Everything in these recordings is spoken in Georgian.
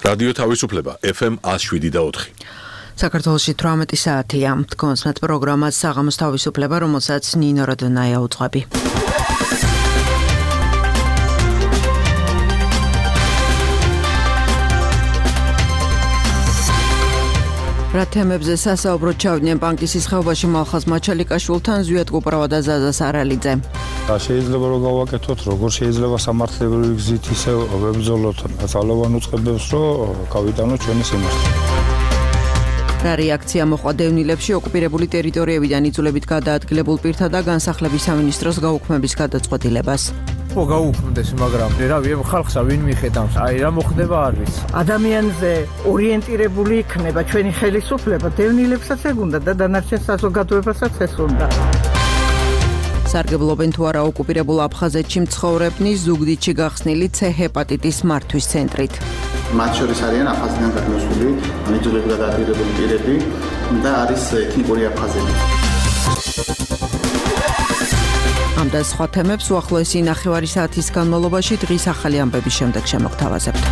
რადიო თავისუფლება FM 107.4. საქართველოში 18 საათია. თქვენს პროგრამას საღამოს თავისუფლება, რომელსაც ნინო როდონაია უძღვები. რა თემებზე სასაუბროდ ჩავდნენ ბანკის სისხლობაში მალხაზ მაჩალიკაშვილთან, ზვიად კუპრავა და ზაზა სარალიძე. შეიძლება რომ გავაკეთოთ, როგორ შეიძლება სამართლებრივი გზით ისე ვებრძოლოთ ძალოვან უწყებებს, რომ გავიტანოთ ჩვენი სიმართლე. რა რეაქცია მოყვა დევნილებში ოკუპირებული ტერიტორიებიდან იძულებით გადაადგილებულ პირთა და განსახლების სამინისტროს გაუქმების გადაწყვეტილებას. გაუქმდეს, მაგრამ რავი, ხალხსა ვინ მიხედავს? რა მოხდება არ ვიცი. ადამიანზე ორიენტირებული იქნება ჩვენი ხელისუფლება, დევნილებსაც ეგ უნდა და დანარჩენ საზოგადოებასაც ეს უნდა. სარგებლობენ თუ არა ოკუპირებულ აფხაზეთში მცხოვრებნი ზუგდიდში გახსნილი C ჰეპატიტის მართვის ცენტრით. მათ შორის არიან აფხაზეთიდან გადმოსული, იძულებით გადაადგილებული პირები და არის ეთნიკური აფხაზები. ამ და სხვა თემებს უახლოესი ნახევარი საათის განმავლობაში დღის ახალი ამბების შემდეგ შემოგთავაზებთ.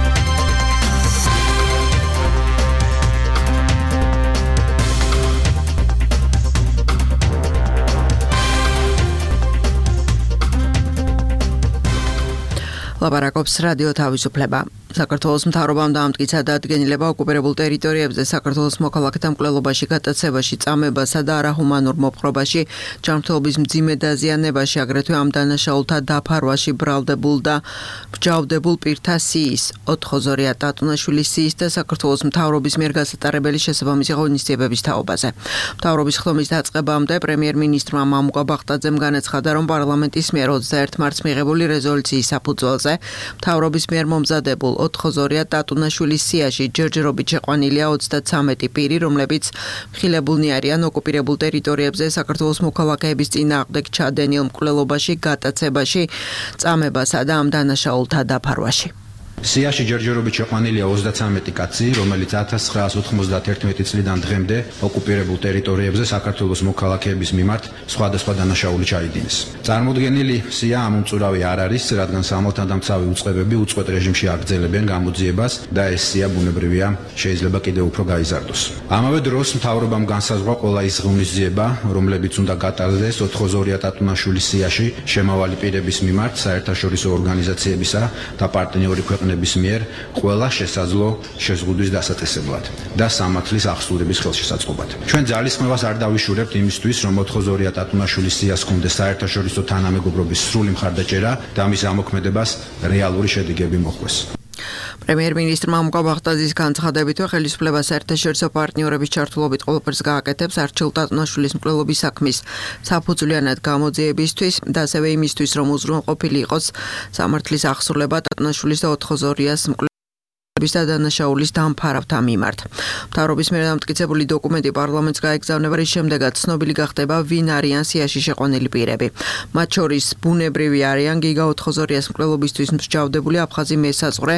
ლაპარაკობს რადიო თავისუფლება. საქართველოს მთავრობამ დაამტკიცა დადგენილება ოკუპირებულ ტერიტორიებზე საქართველოს მოქალაქეთა მკვლელობაში, გატაცებაში, წამებასა და არაჰუმანურ მოპყრობაში, ჯანმრთელობის მძიმე დაზიანებაში, აგრეთვე ამ დანაშაულთა დაფარვაში ბრალდებულ და მსჯავრდებულ პირთა სიის, ოთხოზორია ტატუნაშვილის სიის და საქართველოს მთავრობის მიერ გასატარებელი შესაბამისი ღონისძიებების თაობაზე. მთავრობის ხდომის დაწყებამდე პრემიერ-მინისტრმა მამუკა ბახტაძემ განაცხადა, რომ პარლამენტის მიერ 21 მარტს მიღებული რეზოლუციის საფუძველზე მთავრობის მიერ მომზადებულ ოთხოზორია ტატუნაშვილის სიაში ჯერჯერობით შეყვანილია 33 პირი, რომლებიც მხილებულნი არიან ოკუპირებულ ტერიტორიებზე საქართველოს მოქალაქეების წინააღმდეგ ჩადენილ მკვლელობაში, გატაცებაში, წამებასა და ამ დანაშაულთა დაფარვაში. სიაში ჯერჯერობით შეყვანილია 33 კაცი, რომელიც 1991 წლიდან დღემდე ოკუპირებულ ტერიტორიებზე საქართველოს მოქალაქეების მიმართ სხვადასხვა დანაშაული ჩაიდინეს. წარმოდგენილი სია ამომწურავი არ არის, რადგან სამართალდამცავი უწყებები უწყვეტ რეჟიმში აგრძელებენ გამოძიებას და ეს სია ბუნებრივია, შეიძლება კიდევ უფრო გაიზარდოს. ამავე დროს მთავრობამ განსაზღვრა ყველა ის ღონისძიება, რომლებიც უნდა გატარდეს ოთხოზორია ტატუნაშვილის სიაში შემავალი პირების მიმართ საერთაშორისო ორგანიზაციებისა და პარტნიორი ქვეყნების მიერ ყველა შესაძლო შეზღუდვის დასაწესებლად და სამართლის აღსრულების ხელშესაწყობად. ჩვენ ძალისხმევას არ დავიშურებთ იმისთვის, რომ ოთხოზორია ტატუნაშვილის სიას ჰქონდეს საერთაშორისო თანამეგობრობის სრული მხარდაჭერა და მის ამოქმედებას რეალური შედეგები მოჰყვეს. პრემიერ-მინისტრმა მამუკა ბახტაძის განცხადებითვე ხელისუფლება საერთაშორისო პარტნიორების ჩართულობით ყველაფერს გააკეთებს არჩილ ტატუნაშვილის მკვლელობის საქმის საფუძვლიანად გამოძიებისთვის და ასევე იმისთვის, რომ უზრუნველყოფილი იყოს სამართლის აღსრულება ტატუნაშვილის და ოთხოზორიას და დანაშაულის დამფარავთა მიმართ. მთავრობის მიერ დამტკიცებული დოკუმენტი პარლამენტს გაეგზავნება, რის შემდეგაც ცნობილი გახდება, ვინ არიან სიაში შეყვანილი პირები. მათ შორის ბუნებრივი არიან გიგა ოთხოზორიას მკვლელობისთვის მსჯავრდებული აფხაზი მესაწვრე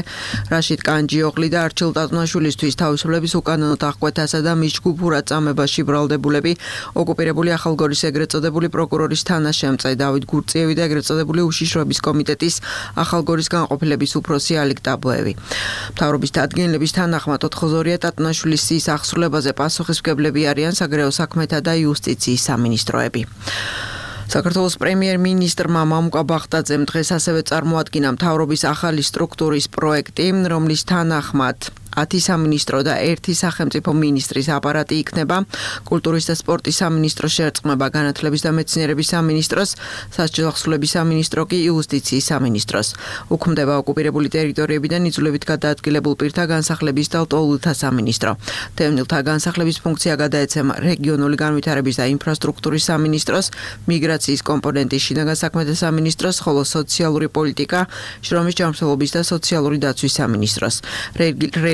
რაშიდ კანჯიოღლი და არჩილ ტატუნაშვილისთვის თავისუფლების უკანონო დახკვეთასა და მის ჯგუფურად წამებაში ბრალდებულები, ოკუპირებული ახალგორის ეგრეთ წოდებული პროკურორის თანაშემწე დავით გურწიევი და ეგრეთ წოდებული უშიშროების კომიტეტის ახალგორის განყოფილების უფროსი ალიკ ტაბოევი. მთავრობის დადგენილების თანახმად ოთხოზორია ტატუნაშვილის სიის აღსრულებაზე პასუხისმგებლები არიან საგარეო საქმეთა და იუსტიციის სამინისტროები. საქართველოს პრემიერ-მინისტრმა მამუკა ბახტაძემ დღეს ასევე წარმოადგინა მთავრობის ახალი სტრუქტურის პროექტი, რომლის თანახმად 10 სამინისტრო და 1 სახელმწიფო მინისტრის აპარატი იქნება. კულტურის და სპორტის სამინისტრო შეერწყმება განათლების და მეცნიერების სამინისტროს, სასჯელახსრულების სამინისტრო კი იუსტიციის სამინისტროს. უქმდება ოკუპირებული ტერიტორიებიდან იძულებით გადაადგილებულ პირთა განსახლების და ლტოლვილთა სამინისტრო. დევნილთა განსახლების ფუნქცია გადაეცემა რეგიონული განვითარების და ინფრასტრუქტურის სამინისტროს, მიგრაციის კომპონენტის შინაგან საქმეთა სამინისტროს, ხოლო სოციალური პოლიტიკა, შრომის ჯანმრთელობის და სოციალური დაცვის სამინისტროს.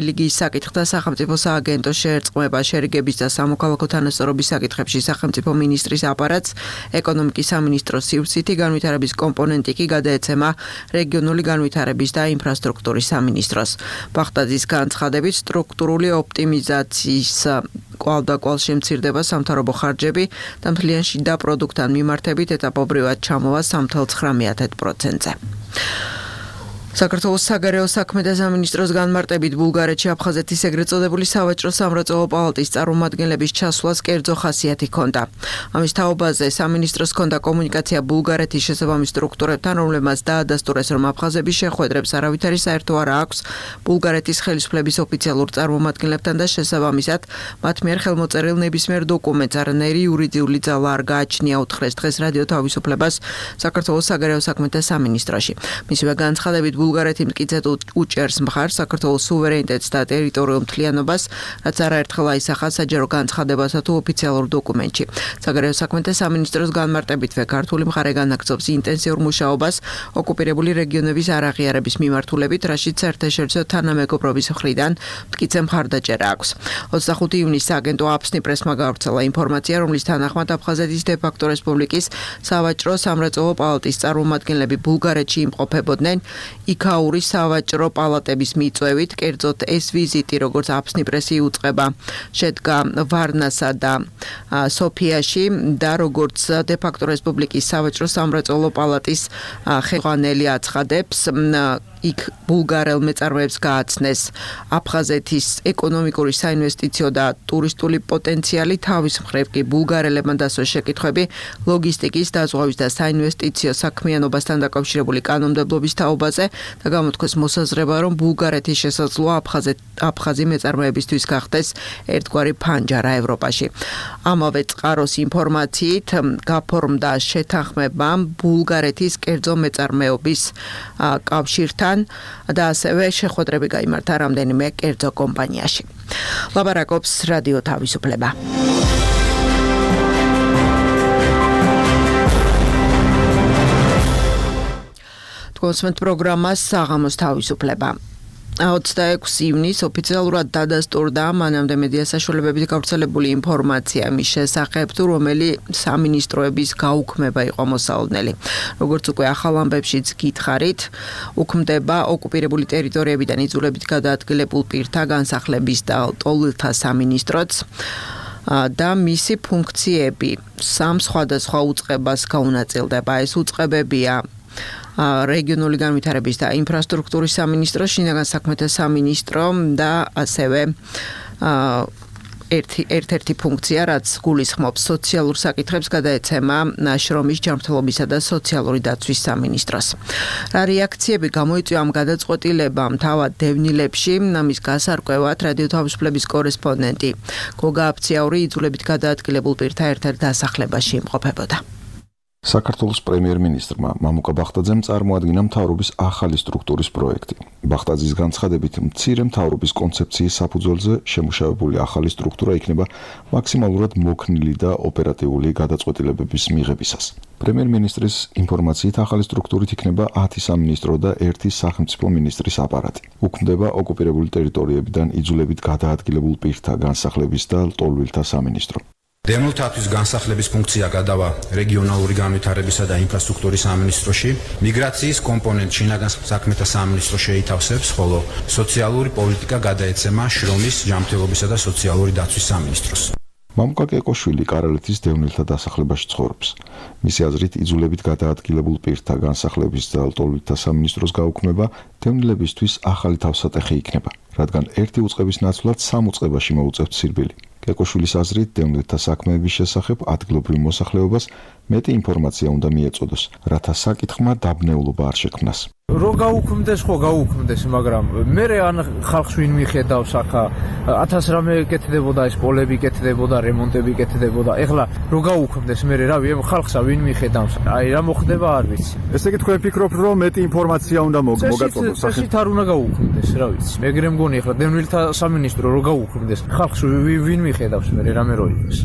რელიგიის საკითხთა სახელმწიფო სააგენტო შეერწყმება შერიგების და სამოქალაქო თანასწორობის საკითხებში სახელმწიფო მინისტრის აპარატს, ეკონომიკის სამინისტროს სივრცითი განვითარების კომპონენტი კი გადაეცემა რეგიონული განვითარების და ინფრასტრუქტურის სამინისტროს. ბახტაძის განცხადებით სტრუქტურული ოპტიმიზაციის კვალდაკვალ შემცირდება სამთავრობო ხარჯები და მთლიან შიდა პროდუქტთან მიმართებით ეტაპობრივად ჩამოვა 3.9%-ზე. საქართველოს საგარეო საქმეთა სამინისტროს განმარტებით ბულგარეთში აფხაზეთის ეგრეთ წოდებული სავაჭრო სამრეწველო პალატის წარმომადგენლების ჩასვლას კერძო ხასიათი ჰქონდა. ამის თაობაზე სამინისტროს ჰქონდა კომუნიკაცია ბულგარეთის შესაბამის სტრუქტურებთან, რომლებმაც დაადასტურეს, რომ აფხაზების შეხვედრებს არავითარი საერთო არ აქვს ბულგარეთის ხელისუფლების ოფიციალურ წარმომადგენლებთან და შესაბამისად მათ მიერ ხელმოწერილ ნებისმიერ დოკუმენტს არანაირი იურიდიული ძალა არ გააჩნია, უთხრეს დღეს რადიო თავისუფლებას საქართველოს საგარეო საქმეთა სამინისტროში. მისივე განცხადებით ბულგარეთი მტკიცედ უჭერს მხარს საქართველოს სუვერენიტეტს და ტერიტორიულ მთლიანობას, რაც არაერთხელ აისახა საჯარო განცხადებასა თუ ოფიციალურ დოკუმენტში. საგარეო საქმეთა სამინისტროს განმარტებითვე ქართული მხარე განაგრძობს ინტენსიურ მუშაობას ოკუპირებული რეგიონების არაღიარების მიმართულებით, რაშიც საერთაშორისო თანამეგობრობის მხრიდან მტკიცე მხარდაჭერა აქვს. 25 ივნისს აგენტო აფსნი პრესმა გავრცელა ინფორმაცია, რომლის თანახმად აფხაზეთის დე-ფაქტო რესპუბლიკის სავაჭრო სამრეწველო პალატის წარმომადგენლები ბულგარეთში იმყოფებოდნენ. იქაური სავაჭრო პალატების მიწვევით, კერძოდ ეს ვიზიტი, როგორც აფსნი პრესი უწყება, შედგა ვარნასა და სოფიაში და როგორც დე-ფაქტო რესპუბლიკის სავაჭრო სამრეწველო პალატის ხელმძღვანელი აცხადებს, იქ ბულგარელ მეწარმეებს გააცნეს აფხაზეთის ეკონომიკური, საინვესტიციო და ტურისტული პოტენციალი, თავის მხრივ კი ბულგარელებმა დასვეს შეკითხვები ლოგისტიკის, დაზღვევის და საინვესტიციო საქმიანობასთან დაკავშირებული კანონმდებლობის თაობაზე და გამოთქვეს მოსაზრება, რომ ბულგარეთის შესაძლოა აფხაზი მეწარმეებისთვის გახდეს ერთგვარი ფანჯარა ევროპაში. ამავე წყაროს ინფორმაციით გაფორმდა შეთანხმება ბულგარეთის კერძო მეწარმეობის კავშირთან და ასევე შეხვედრები გაიმართა რამდენიმე კერძო კომპანიაში. ლაბარაკობს რადიო თავისუფლება. კონსმენტ პროგრამას საღამოს თავისუფლება. 26 ივნისს ოფიციალურად დადასტურდა მანამდე მედია საშუალებებით გავრცელებული ინფორმაცია მის შესახებ, თუ რომელი სამინისტროების გაუქმება იყო მოსალოდნელი. როგორც უკვე ახალ ამბებშიც გითხარით, უქმდება ოკუპირებული ტერიტორიებიდან იძულებით გადაადგილებულ პირთა განსახლების და ტოლილთა სამინისტროც და მისი ფუნქციები სამ სხვადასხვა უწყებას გაუნაწილდება. ეს უწყებებია რეგიონული განვითარების და ინფრასტრუქტურის სამინისტრო, შინაგან საქმეთა სამინისტრო და ასევე ერთ-ერთი ფუნქცია, რაც გულისხმობს სოციალურ საკითხებს, გადაეცემა შრომის, ჯანმრთელობისა და სოციალური დაცვის სამინისტროს. რა რეაქციები გამოიწვია ამ გადაწყვეტილებამ თავად დევნილებში, ამის გასარკვევად რადიო თავისუფლების კორესპონდენტი გოგა აფციაური იძულებით გადაადგილებულ პირთა ერთ-ერთ დასახლებაში იმყოფებოდა. საქართველოს პრემიერ-მინისტრმა მამუკა ბახტაძემ წარმოადგინა მთავრობის ახალი სტრუქტურის პროექტი. ბახტაძის განცხადებით, მცირე მთავრობის კონცეფციის საფუძველზე შემუშავებული ახალი სტრუქტურა იქნება მაქსიმალურად მოქნილი და ოპერატიული გადაწყვეტილებების მიღებისას. პრემიერ-მინისტრის ინფორმაციით, ახალი სტრუქტურით იქნება 10 სამინისტრო და 1 სახელმწიფო მინისტრის აპარატი. უქმდება ოკუპირებული ტერიტორიებიდან იძულებით გადაადგილებულ პირთა განსახლების და ლტოლვილთა სამინისტრო. დევნილთათვის განსახლების ფუნქცია გადავა რეგიონალური განვითარებისა და ინფრასტრუქტურის სამინისტროში, მიგრაციის კომპონენტ შინაგან საქმეთა სამინისტრო შეითავსებს, ხოლო სოციალური პოლიტიკა გადაეცემა შრომის, ჯანმრთელობისა და სოციალური დაცვის სამინისტროს. მამუკა კეკოშვილი კარალეთის დევნილთა დასახლებაში ცხოვრობს. მისი აზრით, იძულებით გადაადგილებულ პირთა განსახლების და ლტოლვილთა სამინისტროს გაუქმება დევნილებისთვის ახალი თავსატეხი იქნება, რადგან ერთი უწყების ნაცვლად 3 უწყებაში მოუწევთ სირბილი. კეკოშვილის აზრით, დევნილთა საქმეების შესახებ ადგილობრივ მოსახლეობას მეტი ინფორმაცია უნდა მიეწოდოს, რათა საკითხმა დაბნეულობა არ შექმნას. რო გაუქმდეს, ხო გაუქმდეს, მაგრამ მე ან ხალხს ვინ მიხედავს ახლა 1000 რამე კეთდებოდა, ეს პოლები კეთდებოდა, რემონტები კეთდებოდა. ეხლა რო გაუქმდეს, მე რავი, ხალხსა ვინ მიხედავს? აი რა მოხდება არ ვიცი. ესე იგი თქვენ ფიქრობთ, რომ მეტი ინფორმაცია უნდა მოგაწოდოს სახე? წესით არ უნდა გაუქმდეს, რა ვიცი. მეგრე მგონი ეხლა დევნილთა სამინისტრო რო გაუქმდეს, ხალხს ვინ მიხედავს მე რამე რო იყოს.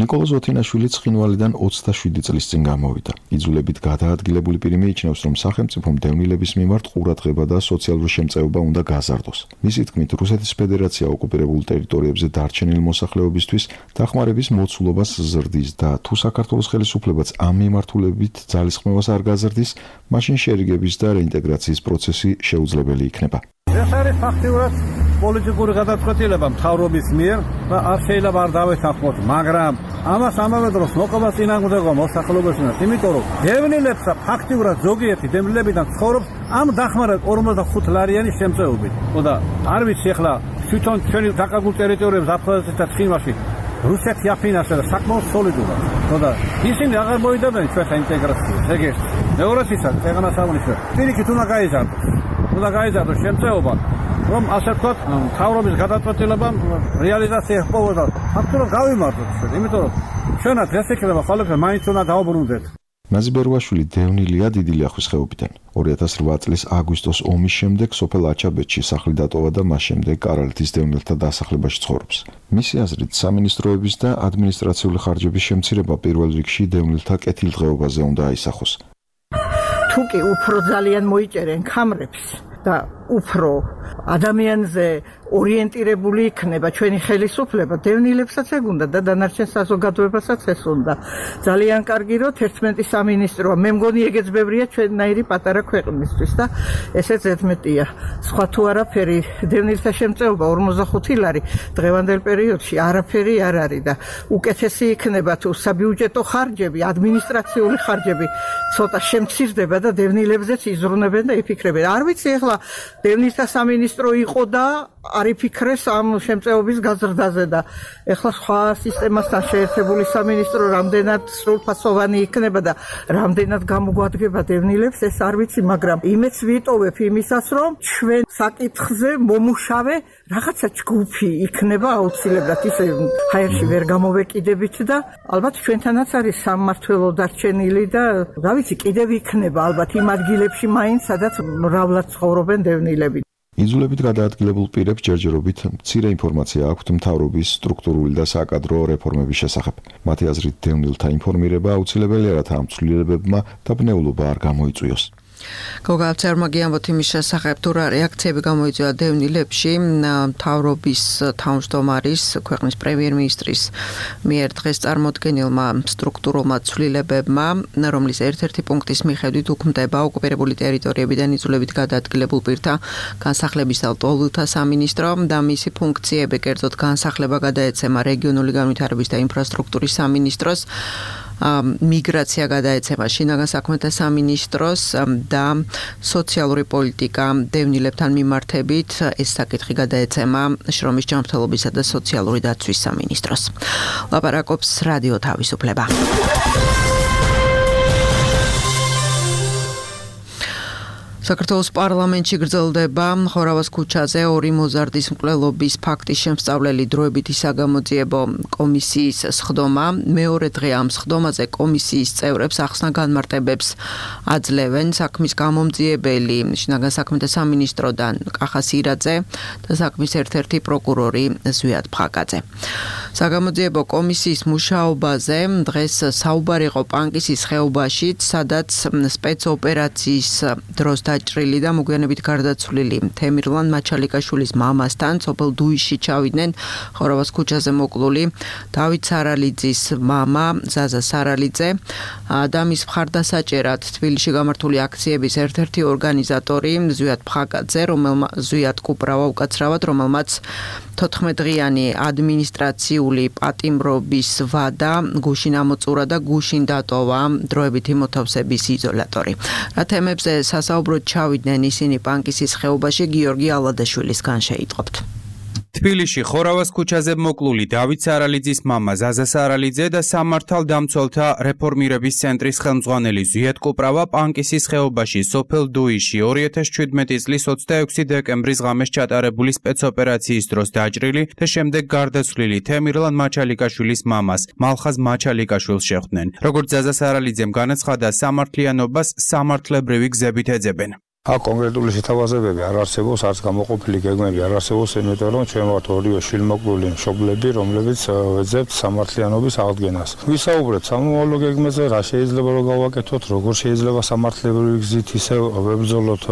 ნიკოლოზ ვოთინაშვილი ცხინვალიდან 27 წლის წინ გამოვიდა. იძულებით გადაადგილებული პირი მიიჩნევს, რომ სახელმწიფომ დევნილების მიმართ ყურადღება და სოციალური შემწეობა უნდა გაზარდოს. მისი თქმით, რუსეთის ფედერაცია ოკუპირებულ ტერიტორიებზე დარჩენილი მოსახლეობისთვის დახმარების მოცულობას ზრდის და თუ საქართველოს ხელისუფლებაც ამ მიმართულებით ძალისხმევას არ გაზრდის, მაშინ შერიგების და რეინტეგრაციის პროცესი შეუძლებელი იქნება. ეს არის ფაქტიურად პოლიტიკური გადაწყვეტილება მთავრობის მიერ და არ შეიძლება არ დავეთანხმოთ, მაგრამ ამას ამავე დროს მოყვა წინააღმდეგობა მოსახლეობისგან, იმიტომ რომ დევნილებს ფაქტიურად ზოგიერთი დევნილებიდან ცხოვრობს ამ დახმარება 45 ლარიანი შემწეობით. და არ ვიცი ახლა თვითონ ჩვენი დაკარგულ ტერიტორიებს აფხაზეთსა და ცხინვალში რუსეთი აფინანსა და საკმაოდ სოლიდურად. და ისინი აღარ მოიდებენ ჩვენთან ინტეგრაციას. ეგ ერთი. მეორეც ისა ქვეყანას აღნიშნავს. პირიქით უნდა გაიზარდოს შემწეობა, რომ ასე ვთქვათ, მთავრობის გადაწყვეტილებამ რეალიზაცია ჰპოვოდა. ფაქტობრივად გავიმართოთ ჩვენ, იმიტომ რომ ჩვენად ეს იქნება ხოლმე მაინც უნდა დავუბრუნდეთ. ნაზი ბერვაშვილი დევნილია დიდი ლიახვის ხეობიდან. 2008 წლის აგვისტოს ომის შემდეგ სოფელ აჩაბეთში სახლი დატოვა და მას შემდეგ კარალეთის დევნილთა დასახლებაში ცხოვრობს. მისი აზრით, სამინისტროების და ადმინისტრაციული ხარჯების შემცირება პირველ რიგში დევნილთა კეთილდღეობაზე უნდა აისახოს. თუ კი უფრო ძალიან მოიჭერენ ქამრებს და უფრო ადამიანზე ორიენტირებული იქნება ჩვენი ხელისუფლება, დევნილებსაც ეგ უნდა და დანარჩენ საზოგადოებასაც ეს უნდა. ძალიან კარგი რომ 11 სამინისტროა, მე მგონი ეგეც ბევრია ჩვენნაირი პატარა ქვეყნისთვის და ესეც ზედმეტია. სხვა თუ არაფერი, დევნილთა შემწეობა 45 ლარი დღევანდელ პერიოდში არაფერი არ არის და უკეთესი იქნება თუ საბიუჯეტო ხარჯები, ადმინისტრაციული ხარჯები ცოტა შემცირდება და დევნილებზეც იზრუნებენ და იფიქრებენ. არ ვიცი ახლა დევნილთა სამინისტრო იყო და არ იფიქრეს ამ შემწეობის გაზრდაზე და ეხლა სხვა სისტემასთან შეერთებული სამინისტრო რამდენად სრულფასოვანი იქნება და რამდენად გამოგვადგება დევნილებს ეს არ ვიცი, მაგრამ იმეც ვიტოვებ იმისას, რომ ჩვენ საკითხზე მომუშავე რაღაცა ჯგუფი იქნება აუცილებლად ისე ჰაერში ვერ გამოვეკიდებით და ალბათ ჩვენთანაც არის სამმართველო დარჩენილი და რა ვიცი, კიდევ იქნება ალბათ იმ ადგილებში მაინც, სადაც მრავლად ცხოვრობენ დევნილები. იძულებით გადაადგილებულ პირებს ჯერჯერობით მცირე ინფორმაცია აქვთ მთავრობის სტრუქტურული და საკადრო რეფორმების შესახებ. მათი აზრით, დევნილთა ინფორმირება აუცილებელია, რათა ამ ცვლილებებმა დაბნეულობა არ გამოიწვიოს. გოგალცერმა გიამბოთ იმის შესახებ, თუ რა რეაქციები გამოიწვია დევნილებში, მთავრობის თავმჯდომარის, ქვეყნის პრემიერ-მინისტრის მიერ დღეს წარმოდგენილმა სტრუქტურულმა ცვლილებებმა, რომლის ერთ-ერთი პუნქტის მიხედვით უქმდება ოკუპირებული ტერიტორიებიდან იძულებით გადაადგილებულ პირთა განსახლების და ლტოლვილთა სამინისტრო და მისი ფუნქციები, კერძოდ განსახლება გადაეცემა რეგიონული განვითარების და ინფრასტრუქტურის სამინისტროს, მიგრაცია გადაეცემა შინაგან საქმეთა სამინისტროს და სოციალური პოლიტიკა დევნილებთან მიმართებით ეს საკითხი გადაეცემა შრომის ჯანმრთელობისა და სოციალური დაცვის სამინისტროს. ლაპარაკობს რადიო თავისუფლება. საქართველოს პარლამენტში გრძელდება ხორავას ქუჩაზე ორი მოზარდის მკვლელობის ფაქტის შემსწავლელი დროებითი საგამოძიებო კომისიის სხდომა. მეორე დღე ამ სხდომაზე კომისიის წევრებს ახსნა განმარტებებს აძლევენ საქმის გამომძიებელი შინაგან საქმეთა სამინისტროდან კახა სირაძე და საქმის ერთ-ერთი პროკურორი ზვიად ფხაკაძე. საგამოძიებო კომისიის მუშაობაზე დღეს საუბარი იყო პანკისის ხეობაში, სადაც სპეცოპერაციის დროს დაჭრილი და მოგვიანებით გარდაცვლილი თემირლან მაჩალიკაშვილის მამასთან სოფელ დუიში ჩავიდნენ ხორავას ქუჩაზე მოკლული დავით სარალიძის მამა ზაზა სარალიძე და მის მხარდასაჭერად თბილისში გამართული აქციების ერთ-ერთი ორგანიზატორი ზვიად ფხაკაძე, ზვიად კუპრავა უკაცრავად, რომელმაც 14 დღიანი ადმინისტრაციული პატიმრობის ვადა გუშინ ამოწურა და გუშინ დატოვა დროებითი მოთავსების იზოლატორი. რა თემებზე სასაუბროდ ჩავიდნენ ისინი პანკისის ხეობაში, გიორგი ალადაშვილისგან შეიტყობთ. თბილისში ხორავას ქუჩაზე მოკლული დავით სარალიძის მამა ზაზა სარალიძე და სამართალდამცველთა რეფორმირების ცენტრის ხელმძღვანელი ზვიად კუპრავა პანკისის ხეობაში სოფელ დუიში 2017 წლის 26 დეკემბრის ღამეს ჩატარებული სპეცოპერაციის დროს დაჭრილი და შემდეგ გარდაცვლილი თემირლან მაჩალიკაშვილის მამას მალხაზ მაჩალიკაშვილს შეხვდნენ. როგორც ზაზა სარალიძემ განაცხადა, სამართლიანობას სამართლებრივი გზებით ეძებენ. აქ კონკრეტული შეთავაზებები არ არსებობს, არც გამოყოფილი გეგმები არ არსებობს, იმიტომ რომ ჩვენ ვართ ორივე შილმოკლული მშობლები, რომლებიც ვეძებთ სამართლიანობის აღდგენას. ვისაუბრეთ სამომავლო გეგმაზე, რა შეიძლება რომ გავაკეთოთ, როგორ შეიძლება სამართლებრივი გზით ისე ვებრძოლოთ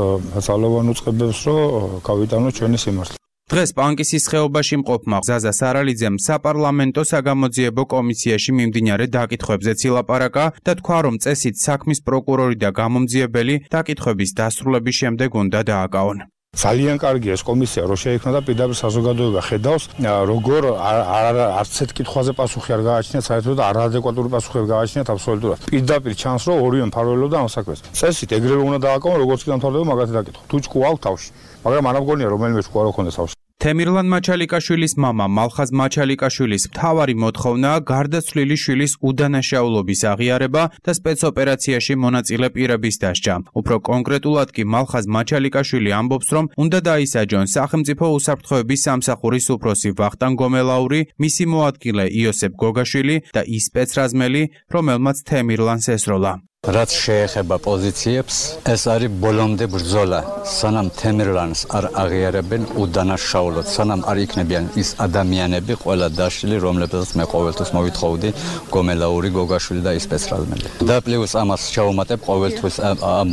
ძალოვან უწყებებს, რომ გავიტანოთ ჩვენი სიმართლე. დღეს პანკისის ხეობაში მყოფმა ზაზა სარალიძემ საპარლამენტო საგამოძიებო კომისიაში მიმდინარე დაკითხვებზეც ილაპარაკა და თქვა, რომ წესით საქმის პროკურორი და გამომძიებელი დაკითხვების დასრულების შემდეგ უნდა დააკავონ. ძალიან კარგია ეს კომისია, რო შეიქმნა და პირდაპირ საზოგადოება ხედავს, როგორ არც ერთ კითხვაზე პასუხი არ გააჩნიათ, საერთოდ არაადეკვატური პასუხი არ გააჩნიათ აბსოლუტურად. პირდაპირ ჩანს, რომ ორივე მფარველობდა ამ საქმეს. წესით ეგრევე უნდა დააკავონ, როგორც კი დამთავრდება მაგათი დაკითხვა. თუ ჭკუა აქვს თავში, მაგრამ არ მგონია რომელიმე ჭკუა რო ქონდეს თავში. თემირლან მაჩალიკაშვილის მამა მალხაზ მაჩალიკაშვილის მთავარი მოთხოვნაა გარდაცვლილი შვილის უდანაშაულობის აღიარება და სპეცოპერაციაში მონაწილე პირების დასჯა. უფრო კონკრეტულად კი მალხაზ მაჩალიკაშვილი ამბობს, რომ უნდა დაისაჯონ სახელმწიფო უსაფრთხოების სამსახურის უფროსი ვახტანგ გომელაური, მისი მოადგილე იოსებ გოგაშვილი და ის სპეცრაზმელი, რომელმაც თემირლანს ესროლა. რაც შეეხება პოზიციებს, ეს არის ბოლომდე ბრძოლა. სანამ თემირლანს არ აღიარებენ უდანაშაულოდ, სანამ არ იქნებიან ის ადამიანები, ყველა დაშლილი, რომლებსაც მე ყოველთვის მოვითხოვდი, გომელაური, გოგაშვილი და ის სპეცრაზმელი. და პლუს ამას ჩაუმატებ ყოველთვის ამ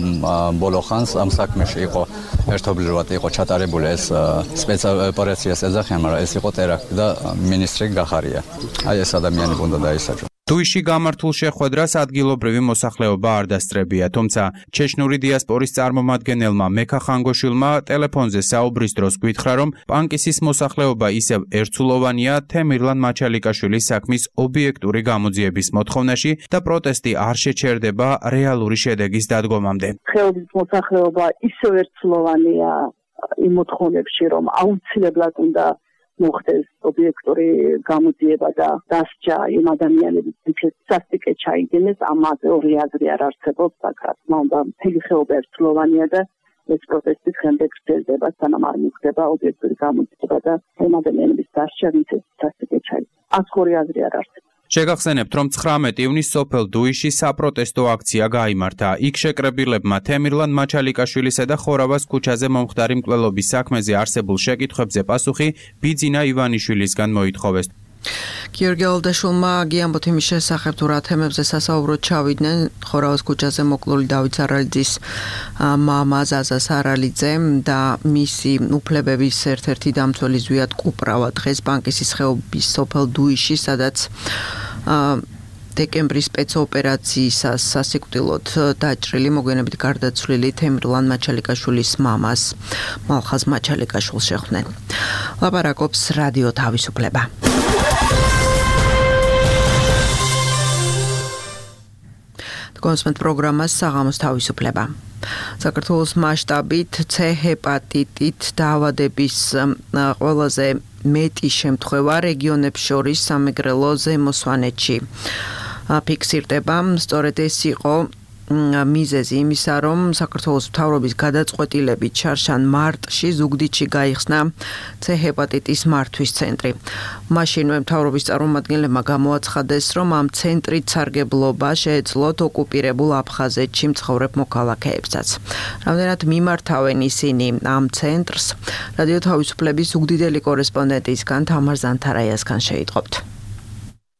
ბოლო ხანს ამ საქმეში იყო ერთობლივად იყო ჩატარებული ეს სპეცოპერაციას ეძახიან, მაგრამ ეს იყო ტერაქტი და მინისტრი გახარია. აი ეს ადამიანები უნდა დაისაჯონ. დუიში გამართულ შეხვედრას ადგილობრივი მოსახლეობა არ დასწრებია, თუმცა ჩეჩნური დიასპორის წარმომადგენელმა მექა ხანგოშვილმა ტელეფონზე საუბრის დროს გითხრა, რომ პანკისის მოსახლეობა ისევ ერთსულოვანია თემირლან მაჩალიკაშვილის საქმის ობიექტური გამოძიების მოთხოვნაში და პროტესტი არ შეჩერდება რეალური შედეგის დადგომამდე. ხეობის მოსახლეობა ისევ ერთსულოვანია იმ მოთხოვნებში, რომ აუცილებლად უნდა მოხდეს ობიექტური გამოძიება და დასჯა იმ ადამიანების სასტიკე ჩაიგდეს, ამაზე ორი აზრი არ არსებობს, რა თქმა უნდა, მთელი ხეობა ერთსულოვანია და ეს პროტესტი დღემდე გრძელდება, სანამ არ მიხვდება ობიექტური გამოძიება და იმ ადამიანების დასჯა, ვინც სასტიკე ჩაიგდეს. ასორი აზრი არ არსებობს. შეგახსენებთ, რომ 19 ივნის სოფელ დუიში საპროტესტო აქცია გაიმართა. იქ შეკრებილებმა თემირლან მაჩალიკაშვილისა და ხორავას ქუჩაზე მომხდარი მკვლელობის საქმეზე არსებულ შეკითხვებზე პასუხი ბიძინა ივანიშვილისგან მოითხოვეს. გიორგი ალდაშვილმა გიამბოთ იმის შესახებ, თუ რა თემებზე სასაუბროდ ჩავიდნენ ხორავას ქუჩაზე მოკლული დავით სარალიძის მამა ზაზა სარალიძე და მისი უფლებების ერთ-ერთი დამცველი ზვიად კუპრავა დღეს პანკისის ხეობის სოფელ დუიში, სადაც დეკემბრის სპეცოპერაციისას სასიკვდილოდ დაჭრილი მოგვიანებით გარდაცვლილი თემირლან მაჩალიკაშვილის მამას მალხაზ მაჩალიკაშვილს შეხვდნენ. ლაპარაკობს რადიო თავისუფლება. კონსმენტ პროგრამას საღამოს თავისუფლება. საქართველოს მასშტაბით C ჰეპატიტით დაავადების ყველაზე მეტი შემთხვევა რეგიონებს შორის სამეგრელო ზემო სვანეთში ფიქსირდება. სწორედ ეს იყო მიზეზი იმისა, რომ საქართველოს მთავრობის გადაწყვეტილებით შარშან მარტში ზუგდიდში გაიხსნა C ჰეპატიტის მართვის ცენტრი. მაშინვე მთავრობის წარმომადგენლებმა გამოაცხადეს, რომ ამ ცენტრით სარგებლობა შეეძლოთ ოკუპირებულ აფხაზეთში მცხოვრებ მოქალაქეებსაც. რამდენად მიმართავენ ისინი ამ ცენტრს, რადიო თავისუფლების ზუგდიდელი კორესპონდენტისგან თამარ ზანთარაიასგან შეიტყობთ.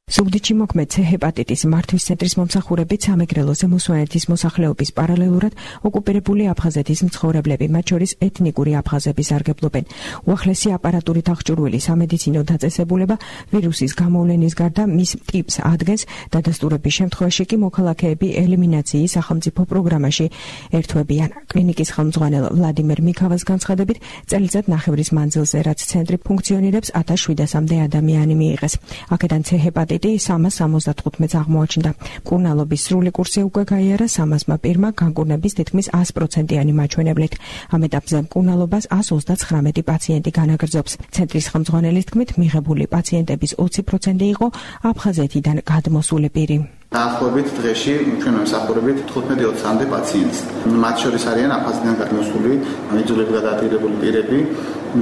ზუგდიდში მოქმედ C ჰეპატიტის მართვის ცენტრის მომსახურებით სამეგრელო ზემო სვანეთის მოსახლეობის პარალელურად ოკუპირებული აფხაზეთის მცხოვრებლები, მათ შორის ეთნიკური აფხაზები სარგებლობენ. უახლესი აპარატურით აღჭურვილი სამედიცინო დაწესებულება ვირუსის გამოვლენის გარდა მის ტიპს ადგენს, დადასტურების შემთხვევაში კი მოქალაქეები ელიმინაციის სახელმწიფო პროგრამაში ერთვებიან. კლინიკის ხელმძღვანელ ვლადიმერ მიქავას განცხადებით, წელიწად ნახევრის მანძილზე, რაც ცენტრი ფუნქციონირებს, 1700-მდე ადამიანი მიიღეს. აქედან C ჰეპატიტი 375-ს აღმოაჩნდა. მკურნალობის სრული კურსი უკვე გაიარა 300-მა პირმა განკურნების თითქმის 100%-იანი მაჩვენებლით. ამ ეტაპზე მკურნალობას 139 პაციენტი განაგრძობს. ცენტრის ხელმძღვანელის თქმით, მიღებული პაციენტების 20% იყო აფხაზეთიდან გადმოსული პირი. დაახლოებით დღეში ჩვენ ვიმსახურებით 15-20-მდე პაციენტს. მათ შორის არიან აფხაზეთიდან გადმოსული, იძულებით გადაადგილებული პირები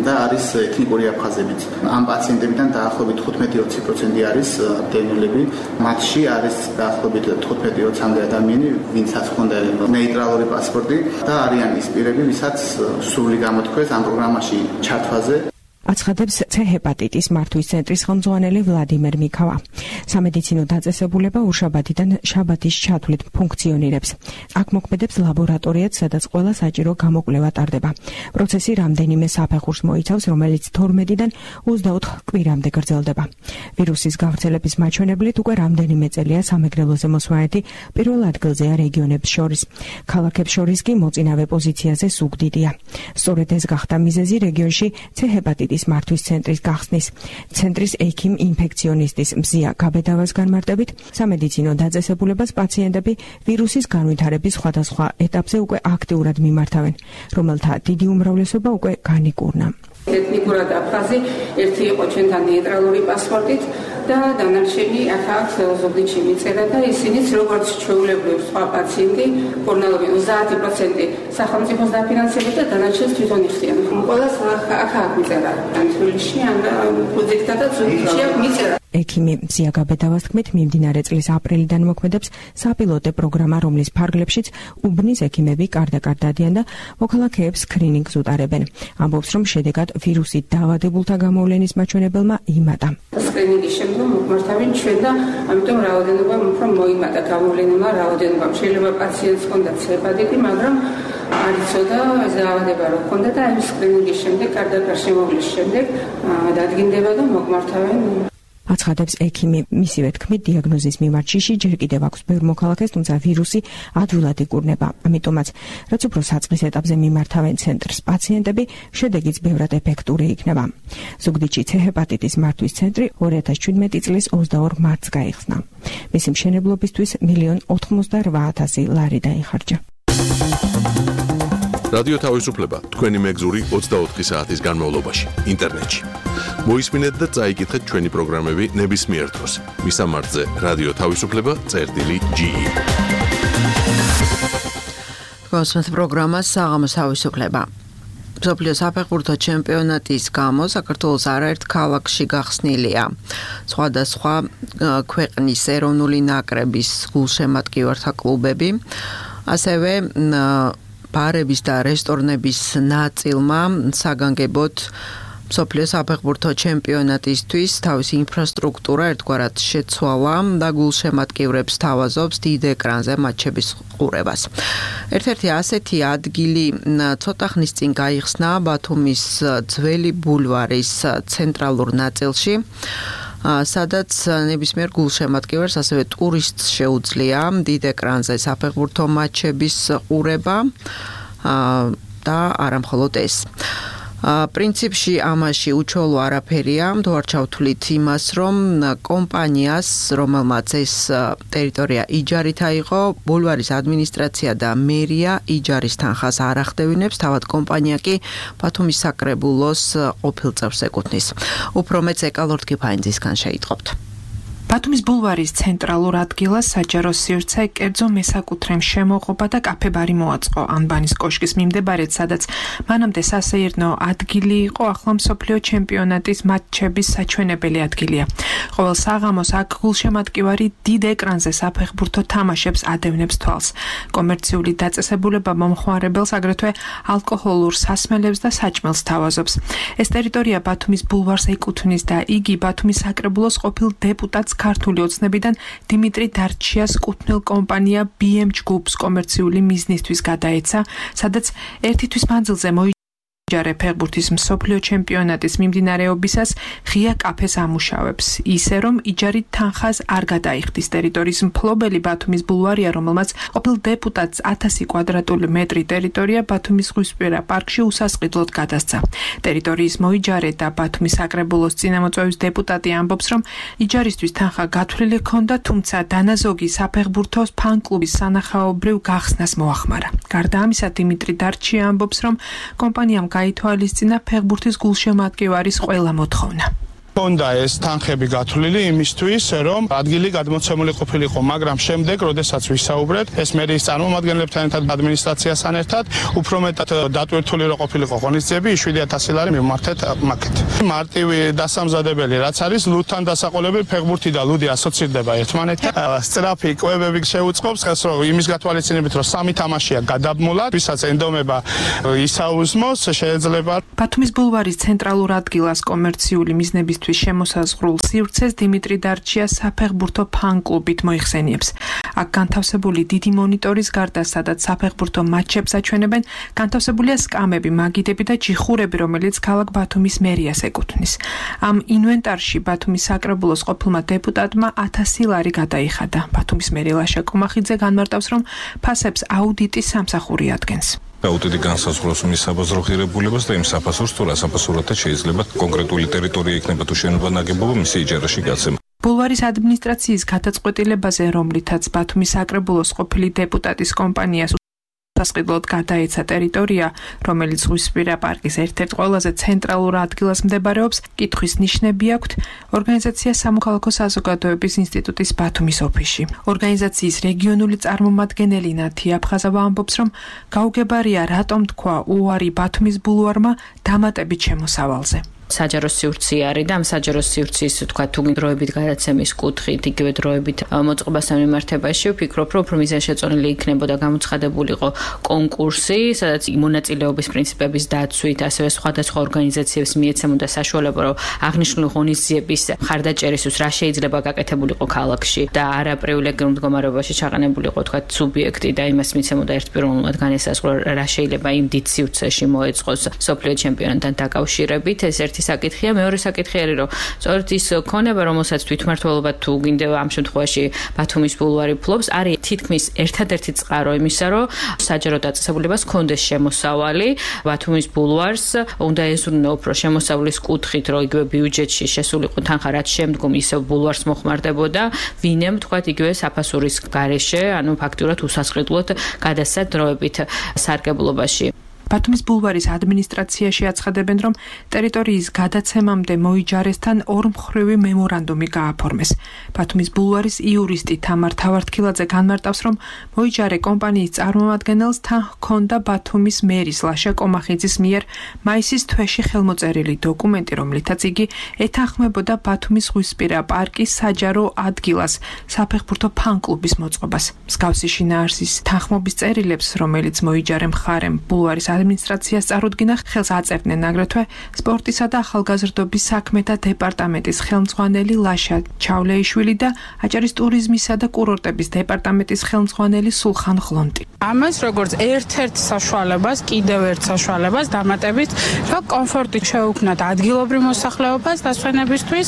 და არის ეთნიკური აფხაზებიც. ამ პაციენტებიდან დაახლოებით 15-20% არის დევნილები. მათში არის დაახლოებით 15-20-მდე ადამიანი, ვინცაც ჰქონდა ნეიტრალური პასპორტი და არიან ის პირები, ვისაც სრული გამოთქვეს ამ პროგრამაში ჩართვაზე. აცხადებს C-ჰეპატიტის მართვის ცენტრის ხელმძღვანელი ვლადიმერ მიქავა. სამედიცინო დაწესებულება უშაბათიდან შაბათის ჩათვლით ფუნქციონირებს. აქ მოქმედებს ლაბორატორიაც, სადაც ყველა საჭირო გამოკვლევა ტარდება. პროცესი რამდენიმე საფეხურს მოიცავს, რომელიც 12-დან 24 კვირამდე გრძელდება. ვირუსის გავრცელების მაჩვენებლით უკვე რამდენიმე წელია სამეგრელოზე მოსვანეთი პირველ ადგილზეა რეგიონებს შორის. ქალაქებს შორის კი მოწინავე პოზიციაზე სუგდიდია. სწორედ ეს გახდა მიზეზი რეგიონში C-ჰეპატიტის მართვის ცენტრის გახსნის. ცენტრის ექიმ ინფექციონისტის მზია გაბედავას განმარტებით, სამედიცინო დაწესებულებას პაციენტები ვირუსის განვითარების სხვადასხვა ეტაპზე უკვე აქტიურად მიმართავენ, რომელთა დიდი უმრავლესობა უკვე განიკურნა. ეთნიკურად აფხაზი ერთი იყო ჩვენთან ნეიტრალური პასპორტით და დანარჩენი აქ ზოგადში მიწერა და ისინიც როგორც ჩვეულებრივ სხვა პაციენტი კორონავირუსი 30% სახელმწიფოს დაფინანსებით და დანარჩენს თვითონ იხდიან. ყველას აქ მიწერა თბილისში ან პროექტად და ზუგდიდში მიწერა. ექიმი მზია გაბედავას თქმით, მიმდინარე წლის აპრილიდან მოქმედებს საპილოტე პროგრამა, რომლის ფარგლებშიც უბნის ექიმები კარდაკარ დადიან და მოქალაქეებს სკრინინგს უტარებენ. ამბობს, რომ შედეგად ვირუსით დაავადებულთა გამოვლენის მაჩვენებელმა იმატა. სკრინინგის შემდგომ მოგმართავენ ჩვენ და ამიტომ რაოდენობა უფრო მოიმატა გამოვლენილმა რაოდენობამ. შეიძლება პაციენტს ჰქონდა C-ჰეპატიტი, მაგრამ არ იცოდა დაავადება რო ჰქონდა და ამ სკრინინგის შემდეგ კარდაკარ შემოვლის შემდეგ დადგინდება და მოგმართავენ. აცხადებს ექიმი, მისივე თქმით, დიაგნოზის მიმართ შიში ჯერ კიდევ აქვს ბევრ მოქალაქეს, თუმცა ვირუსი ადვილად იკურნება. ამიტომაც, რაც უფრო საწყის ეტაპზე მიმართავენ ცენტრს პაციენტები, შედეგიც ბევრად ეფექტური იქნება. ზუგდიდში C-ჰეპატიტის მართვის ცენტრი 2017 წლის 22 მარტს გაიხსნა. მისი მშენებლობისთვის 1,88,000 ლარი დაიხარჯა. რადიო თავისუფლება თქვენი მეგზური 24 საათის განმავლობაში ინტერნეტში. მოისმინეთ და წაიკითხეთ ჩვენი პროგრამები ნებისმიერ დროს. მისამართზე რადიო თავისუფლება.ge. გასვათ პროგრამა საღამოს თავისუფლება. მსოფლიო საფეხბურთო ჩემპიონატის გამო საქართველოს არაერთ ქალაქში გახსნილია. სხვადასხვა ქვეყნის ეროვნული ნაკრების გულშემატკივართა კლუბები, ასევე ბარების და რესტორნების ნაწილმა საგანგებოდ მსოფლიო საფეხბურთო ჩემპიონატისთვის თავისი ინფრასტრუქტურა ერთგვარად შეცვალა და გულშემატკივრებს თავაზობს დიდ ეკრანზე მატჩების ყურებას. ერთ-ერთი ასეთი ადგილი ცოტა ხნის წინ გაიხსნა ბათუმის ძველი ბულვარის ცენტრალურ ნაწილში, სადაც ნებისმიერ გულშემატკივარს, ასევე ტურისტს შეუძლია დიდ ეკრანზე საფეხბურთო მატჩების ყურება და არა მხოლოდ ეს. პრინციპში ამაში უჩვეულო არაფერია, თუ არ ჩავთვლით იმას, რომ კომპანიას, რომელმაც ეს ტერიტორია იჯარით აიღო, ბულვარის ადმინისტრაცია და მერია იჯარის თანხას არ ახდევინებს, თავად კომპანია კი ბათუმის საკრებულოს ყოფილ წევრს ეკუთვნის. უფრო მეც ეკალორდ კიფაინძისგან შეიტყობთ. ბათუმის ბულვარის ცენტრალურ ადგილას საჯარო სივრცე, კერძო მესაკუთრემ შემოღობა და კაფე-ბარი მოაწყო ანბანის კოშკის მიმდებარედ, სადაც მანამდე სასეირნო ადგილი იყო, ახლა მსოფლიო ჩემპიონატის მატჩების საჩვენებელი ადგილია. ყოველ საღამოს აქ გულშემატკივარი დიდ ეკრანზე საფეხბურთო თამაშებს ადევნებს თვალს. კომერციული დაწესებულება მომხმარებელს აგრეთვე ალკოჰოლურ სასმელებს და საჭმელს თავაზობს. ეს ტერიტორია ბათუმის ბულვარს ეკუთვნის და იგი ბათუმის საკრებულოს ყოფილ დეპუტატს ქართული ოცნებიდან დიმიტრი დარჩიას კუთვნილ კომპანია BM ჯგუფს კომერციული მიზნისთვის გადაეცა, სადაც ერთი თვის მანძილზე ჯარე ფეხბურთის მსოფლიო ჩემპიონატის მიმდინარეობისას ღია კაფეს ამუშავებს, ისე რომ იჯარით თანხას არ გადაიხდის. ტერიტორიის მფლობელი ბათუმის ბულვარია, რომელმაც ყოფილ დეპუტატს 1000 კვადრატული მეტრი ტერიტორია ბათუმის ზღვისპირა პარკში უსასყიდლოდ გადასცა. ტერიტორიის მოიჯარე და ბათუმის საკრებულოს წინამოწვევის დეპუტატი ამბობს, რომ იჯარისთვის თანხა გათვლილი ჰქონდა, თუმცა დანაზოგი საფეხბურთო ფან-კლუბის სანახაობრივ გახსნას მოახმარა. გარდა ამისა, დიმიტრი დარჩია ამბობს, რომ კომპანიამ გაითვალისწინა ფეხბურთის გულშემატკივარის ყველა მოთხოვნა. Honda ეს თანხები გათვლილი იმისთვის, რომ ადგილი გადმოცემული ყოფილიყო, მაგრამ შემდეგ, როდესაც ვისაუბრეთ, ეს მერიის წარმომადგენლებთან ერთად ადმინისტრაციასთან ერთად, უფრო მეტად დატვირთული რო ყოფილიყო ღონისძიებები, 7,000 ლარი მივმართეთ მაკეთ. მარტივი დასამზადებელი, რაც არის ლუდთან დასაყოლებელი ფეხბურთი და ლუდი ასოცირდება ერთმანეთთან. სწრაფი კვებები შეუწყობს ხელს, რომ იმის გათვალისწინებით, რომ 3 თამაშია გადაბმულად, ვისაც ენდომება ისაუზმოს, შეიძლება. ბათუმის ბულვარის ცენტრალურ ადგილას კომერციული მიზნებისთვის შემოსაზღვრულ სივრცეს დიმიტრი დარჩია საფეხბურთო ფან-კლუბით მოიხსენიებს. აქ განთავსებული დიდი მონიტორის გარდა, სადაც საფეხბურთო მატჩებს აჩვენებენ, განთავსებულია სკამები, მაგიდები და ჯიხურები, რომელიც ქალაქ ბათუმის მერიას ეკუთვნის. ამ ინვენტარში ბათუმის საკრებულოს ყოფილმა დეპუტატმა 1000 ლარი გადაიხადა. ბათუმის მერი ლაშა კუმახიძე განმარტავს, რომ ფასებს აუდიტის სამსახური ადგენს. აუდიტი განსაზღვრავს მის საბაზრო ღირებულებას და იმ საფასურს, თუ რა საფასურათაც შეიძლება კონკრეტული ტერიტორია იქნება თუ შენობა ნაგებობა მისი იჯარაში გაცემა. ბულვარის ადმინისტრაციის გადაწყვეტილებაზე, რომლითაც ბათუმის საკრებულოს ყოფილი დეპუტატის კომპანიას სასყიდლოდ გადაეცა ტერიტორია, რომელიც ზღვისპირა პარკის ერთ-ერთ ყველაზე ცენტრალურ ადგილას მდებარეობს, კითხვის ნიშნები აქვთ ორგანიზაცია სამოქალაქო საზოგადოების ინსტიტუტის ბათუმის ოფისში. ორგანიზაციის რეგიონული წარმომადგენელი ნათია აფხაზავა ამბობს, რომ გაუგებარია რატომ თქვა უარი ბათუმის ბულვარმა დამატებით შემოსავალზე. საჯარო სივრცე არის და ამ საჯარო სივრცის თქვა თუ დროებით გადაცემის კუთხით, იგივე დროებით მოწყობასთან მიმართებაში ვფიქრობ, რომ უფრო მიზანშეწონილი იქნებოდა გამოცხადებულიყო კონკურსი, სადაც მონაწილეობის პრინციპების დაცვით, ასევე სხვადასხვა ორგანიზაციებს მიეცემოდა საშუალება, რომ აღნიშნული ღონისძიების მხარდაჭერისთვის რა შეიძლება გაკეთებულიყო ქალაქში და არა პრივილეგიურ მდგომარეობაში ჩაყენებულიყო თქვა სუბიექტი და იმას მიცემოდა ერთპიროვნულად განესაზღვრა რა შეიძლება იმ დიდ სივრცეში მოეწყოს სოფლიო ჩემპიონატთან დაკავშირებით. ეს ერთი საკითხია, მეორე საკითხი არის, რომ სწორედ ის ქონება, რომელსაც თვითმმართველობა თუ გინდება ამ შემთხვევაში ბათუმის ბულვარი ფლობს, არის თითქმის ერთადერთი წყარო იმისა, რომ საჯარო დაწესებულებას ჰქონდეს შემოსავალი ბათუმის ბულვარს, უნდა ეზრუნო უფრო შემოსავლის კუთხით, რომ იგივე ბიუჯეტში შესულიყო თანხა, რაც შემდგომ ისევ ბულვარს მოხმარდებოდა, ვინემ თქვათ იგივე საფასურის გარეშე, ანუ ფაქტურად უსასყიდლოდ გადასცა დროებით სარგებლობაში. ბათუმის ბულვარის ადმინისტრაციაში აცხადებენ, რომ ტერიტორიის გადაცემამდე მოიჯარესთან ორმხრივი მემორანდუმი გააფორმეს. ბათუმის ბულვარის იურისტი თამარ თავართქილაძე განმარტავს, რომ მოიჯარე კომპანიის წარმომადგენელს თან ჰქონდა ბათუმის მერის ლაშა კომახიძის მიერ მაისის თვეში ხელმოწერილი დოკუმენტი, რომლითაც იგი ეთანხმებოდა ბათუმის ზღვისპირა პარკის საჯარო ადგილას საფეხბურთო ფან-კლუბის მოწყობას. მსგავსი შინაარსის თანხმობის წერილებს, რომელიც მოიჯარე მხარემ ბულვარის ადმინისტრაციას წარუდგინა, ხელს აწერდნენ აგრეთვე სპორტისა და ახალგაზრდობის საქმეთა დეპარტამენტის ხელმძღვანელი ლაშა ჩავლეიშვილი და აჭარის ტურიზმისა და კურორტების დეპარტამენტის ხელმძღვანელი სულხან ღლონტი. ამას როგორც ერთ-ერთ საშუალებას, კიდევ ერთ საშუალებას დამატებით, რომ კომფორტი შეუქმნათ ადგილობრივ მოსახლეობას დასვენებისთვის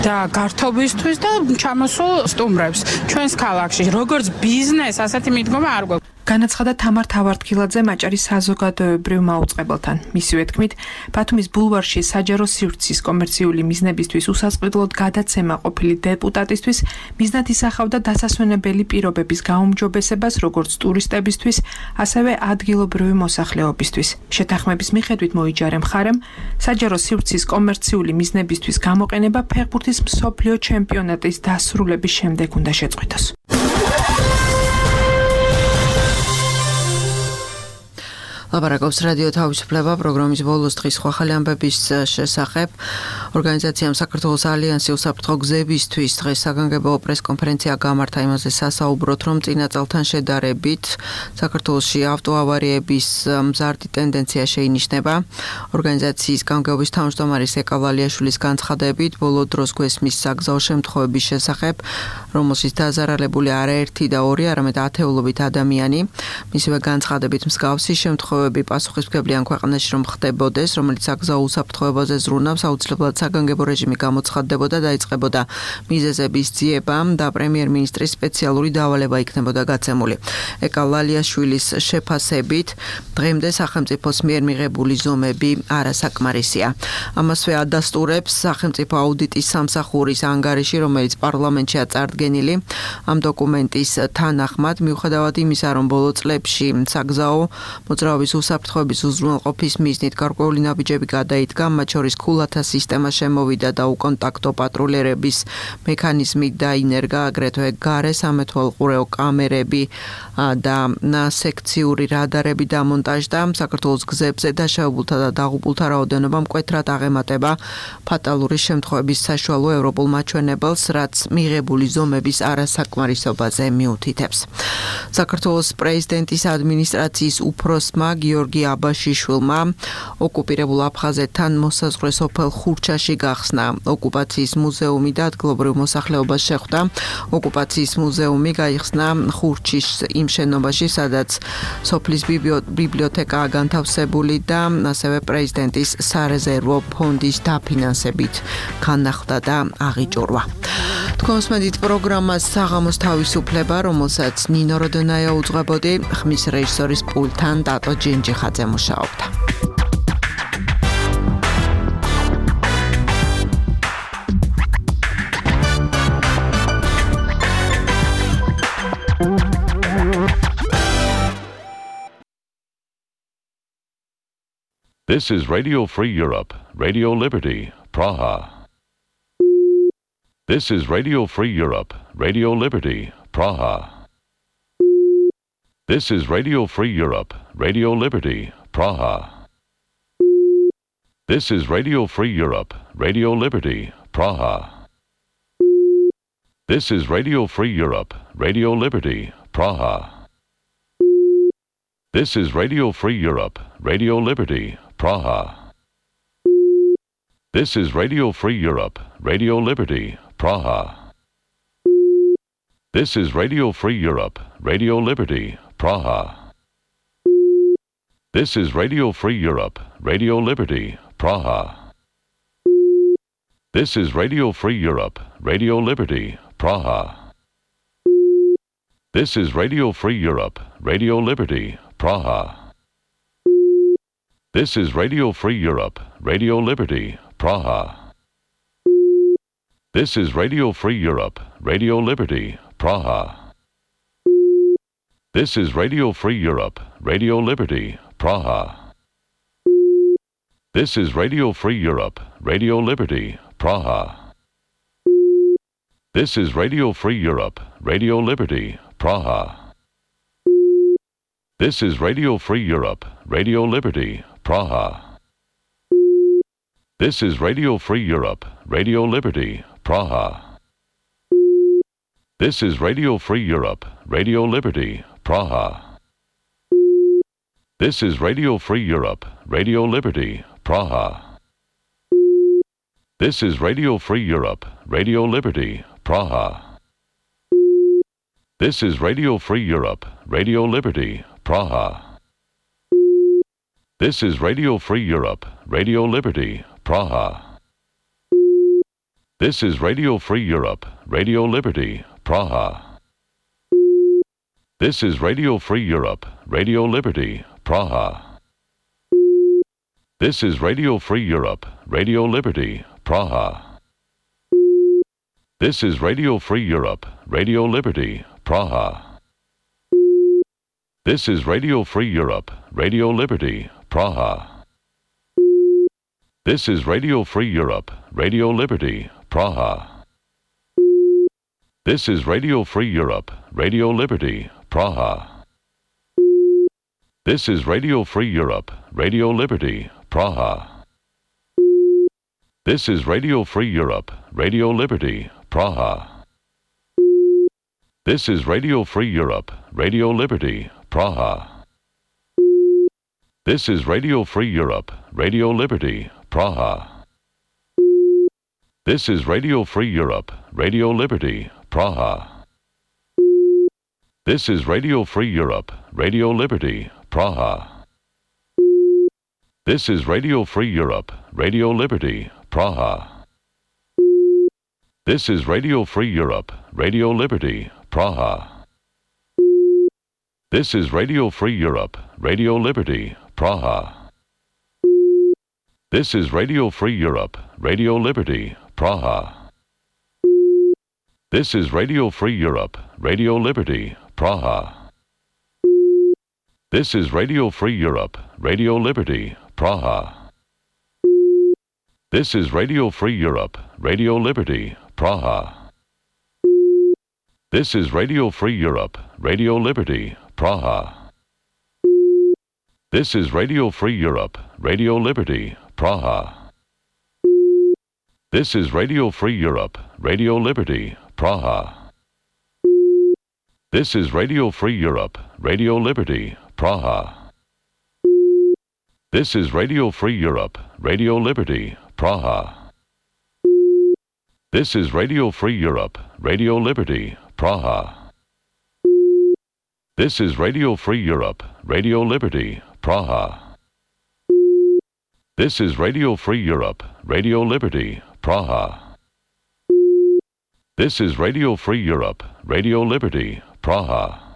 და გართობისთვის და ჩამოსულ სტუმრებს ჩვენს ქალაქში. როგორც ბიზნეს, ასეთი მიდგომა არ გვაქვს. განაცხადა თამარ თავართქილაძე აჭარის საზოგადოებრივ მაუწყებელთან. მისივე თქმით, ბათუმის ბულვარში საჯარო სივრცის კომერციული მიზნებისთვის უსასყიდლოდ გადაცემა ყოფილი დეპუტატისთვის მიზნად ისახავდა დასასვენებელი პირობების გაუმჯობესებას როგორც ტურისტებისთვის, ასევე ადგილობრივი მოსახლეობისთვის. შეთანხმების მიხედვით მოიჯარე მხარემ საჯარო სივრცის კომერციული მიზნებისთვის გამოყენება ფეხბურთის მსოფლიო ჩემპიონატის დასრულების შემდეგ უნდა შეწყვიტოს. ლაპარაკობს რადიო თავისუფლება პროგრამის ბოლოს დღის სხვა ხალი ამბების შესახებ. ორგანიზაციამ საქართველოს ალიანსი უსაფრთხო გზებისთვის დღეს საგანგებო პრესკონფერენცია გამართა, იმაზე სასაუბროთ, რომ წინა წელთან შედარებით საქართველოში ავტოავარიების მზარდი ტენდენცია შეინიშნება. ორგანიზაციის გამგეობის თავმჯდომარის ეკა ვალიაშვილის განცხადებით, ბოლო დროს გვესმის საგზაო შემთხვევების შესახებ, რომელშიც დაზარალებული არაერთი და ორი, არამედ ათეულობით ადამიანი. მისივე განცხადებით, მსგავსი შემთხვევები პასუხისმგებლიან ქვეყანაში რომ ხდებოდეს, რომელიც საგზაო უსაფრთხოებაზე ზრუნავს, აუცილებლად საგანგებო რეჟიმი გამოცხადდებოდა და იწყებოდა მიზეზების ძიება და პრემიერ-მინისტრის სპეციალური დავალება იქნებოდა გაცემული. ეკა ვალიაშვილის შეფასებით, დღემდე სახელმწიფოს მიერ მიღებული ზომები არასაკმარისია. ამასვე ადასტურებს სახელმწიფო აუდიტის სამსახურის ანგარიში, რომელიც პარლამენტშია წარდგენილი. ამ დოკუმენტის თანახმად, მიუხედავად იმისა, რომ ბოლო წლებში საგზაო მოძრაობის უსაფრთხოების უზრუნველყოფის მიზნით გარკვეული ნაბიჯები გადაიდგა, მათ შორის ქულათა სისტემა შემოვიდა და უკონტაქტო პატრულიერების მექანიზმი დაინერგა, აგრეთვე გარე სამეთვალყურეო კამერები და სექციური რადარები დამონტაჟდა. საქართველოს გზებზე დაშავებულთა და დაღუპულთა რაოდენობა მკვეთრად აღემატება ფატალური შემთხვევების საშუალო ევროპულ მაჩვენებელს, რაც მიღებული ზომების არასაკმარისობაზე მიუთითებს. საქართველოს პრეზიდენტის ადმინისტრაციის უფროსმა გიორგი აბაშიშვილმა ოკუპირებულ აფხაზეთთან მოსაზღვრე სოფელ ხურჩაში გახსნა. ოკუპაციის მუზეუმი და ადგილობრივ მოსახლეობას შეხვდა. ოკუპაციის მუზეუმი გაიხსნა ხურჩის იმ შენობაში, სადაც სოფლის ბიბლიოთეკაა განთავსებული და ასევე პრეზიდენტის სარეზერვო ფონდის დაფინანსებით განახლდა და აღიჭურვა. თქვენს მედით პროგრამას საღამოს თავისუფლება, რომელსაც ნინო როდონაია უძღვებოდი, ხმის რეჟისორის პულტთან დატო ჯინჯიხაძე მუშაობდა. This is Radio Free Europe, Radio Liberty, Praha. This is Radio Free Europe, Radio Liberty, Praha. This is Radio Free Europe, Radio Liberty, Praha. This is Radio Free Europe, Radio Liberty, Praha. This is Radio Free Europe, Radio Liberty, Praha. This is Radio Free Europe, Radio Liberty, Praha. This is Radio Free Europe, Radio Liberty, Praha. This is Radio Free Europe, Radio Liberty, Praha. This is Radio Free Europe, Radio Liberty, Praha. This is Radio Free Europe, Radio Liberty, Praha. This is Radio Free Europe, Radio Liberty, Praha. This is Radio Free Europe, Radio Liberty, Praha. This is Radio Free Europe, Radio Liberty, Praha. This is Radio Free Europe, Radio Liberty, Praha. This is Radio Free Europe, Radio Liberty, Praha. This is Radio Free Europe, Radio Liberty, Praha. This is Radio Free Europe, Radio Liberty, Praha. This is Radio Free Europe, Radio Liberty, Praha. This is Radio Free Europe, Radio Liberty, Praha. This is Radio Free Europe, Radio Liberty, Praha. This is Radio Free Europe, Radio Liberty, Praha. This is Radio Free Europe, Radio Liberty, Praha. This is Radio Free Europe, Radio Liberty, Praha. This is Radio Free Europe, Radio Liberty, Praha. This is Radio Free Europe, Radio Liberty, Praha. This is Radio Free Europe, Radio Liberty, Praha. This is Radio Free Europe, Radio Liberty, Praha. This is Radio Free Europe, Radio Liberty, Praha. This is Radio Free Europe, Radio Liberty, Praha. This is Radio Free Europe, Radio Liberty, Praha. This is Radio Free Europe, Radio Liberty, Praha. This is Radio Free Europe, Radio Liberty, Praha. This is Radio Free Europe, Radio Liberty, Praha. This is Radio Free Europe, Radio Liberty, Praha. This is Radio Free Europe, Radio Liberty, Praha. This is Radio Free Europe, Radio Liberty, Praha. This is Radio Free Europe, Radio Liberty, Praha. This is Radio Free Europe, Radio Liberty, Praha. This is Radio Free Europe, Radio Liberty, Praha. This is Radio Free Europe, Radio Liberty, Praha. This is Radio Free Europe, Radio Liberty, Praha. This is Radio Free Europe, Radio Liberty, Praha. This is Radio Free Europe, Radio Liberty, Praha. This is Radio Free Europe, Radio Liberty, Praha. This is Radio Free Europe, Radio Liberty, Praha. This is Radio Free Europe, Radio Liberty, Praha. This is Radio Free Europe, Radio Liberty, Praha. This is Radio Free Europe, Radio Liberty, Praha. This is Radio Free Europe, Radio Liberty, Praha. This is Radio Free Europe, Radio Liberty, Praha. This is Radio Free Europe, Radio Liberty, Praha. This is Radio Free Europe, Radio Liberty, Praha.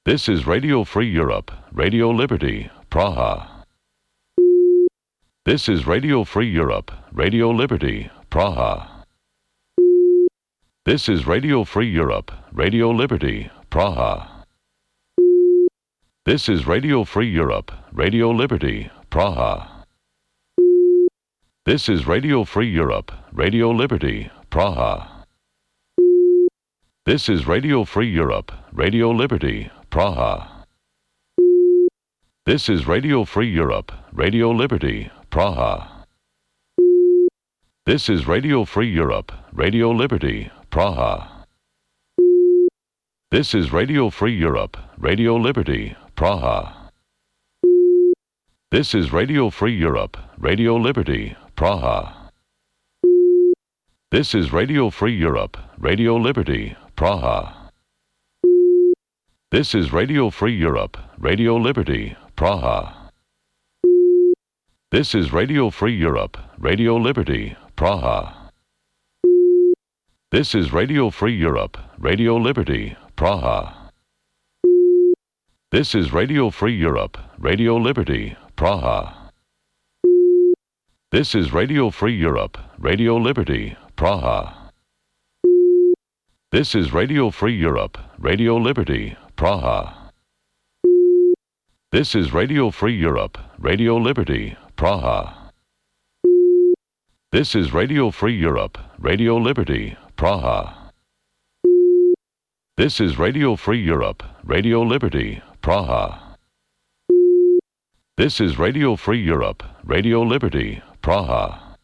This is Radio Free Europe, Radio Liberty, Praha. This is Radio Free Europe, Radio Liberty, Praha. This is Radio Free Europe, Radio Liberty, Praha. This is Radio Free Europe, Radio Liberty, Praha. This is Radio Free Europe, Radio Liberty, Praha. This is Radio Free Europe, Radio Liberty, Praha. This is Radio Free Europe, Radio Liberty, Praha. This is Radio Free Europe, Radio Liberty, Praha. This is Radio Free Europe, Radio Liberty, Praha. This is Radio Free Europe, Radio Liberty, Praha. This is Radio Free Europe, Radio Liberty, Praha. This is Radio Free Europe, Radio Liberty, Praha. This is Radio Free Europe, Radio Liberty, Praha. This is Radio Free Europe, Radio Liberty, Praha. This is Radio Free Europe, Radio Liberty, Praha. This is Radio Free Europe, Radio Liberty, Praha. This is Radio Free Europe, Radio Liberty, Praha. This is Radio Free Europe, Radio Liberty, Praha. This is Radio Free Europe, Radio Liberty, Praha. This is Radio Free Europe, Radio Liberty, Praha. This is Radio Free Europe, Radio Liberty, Praha.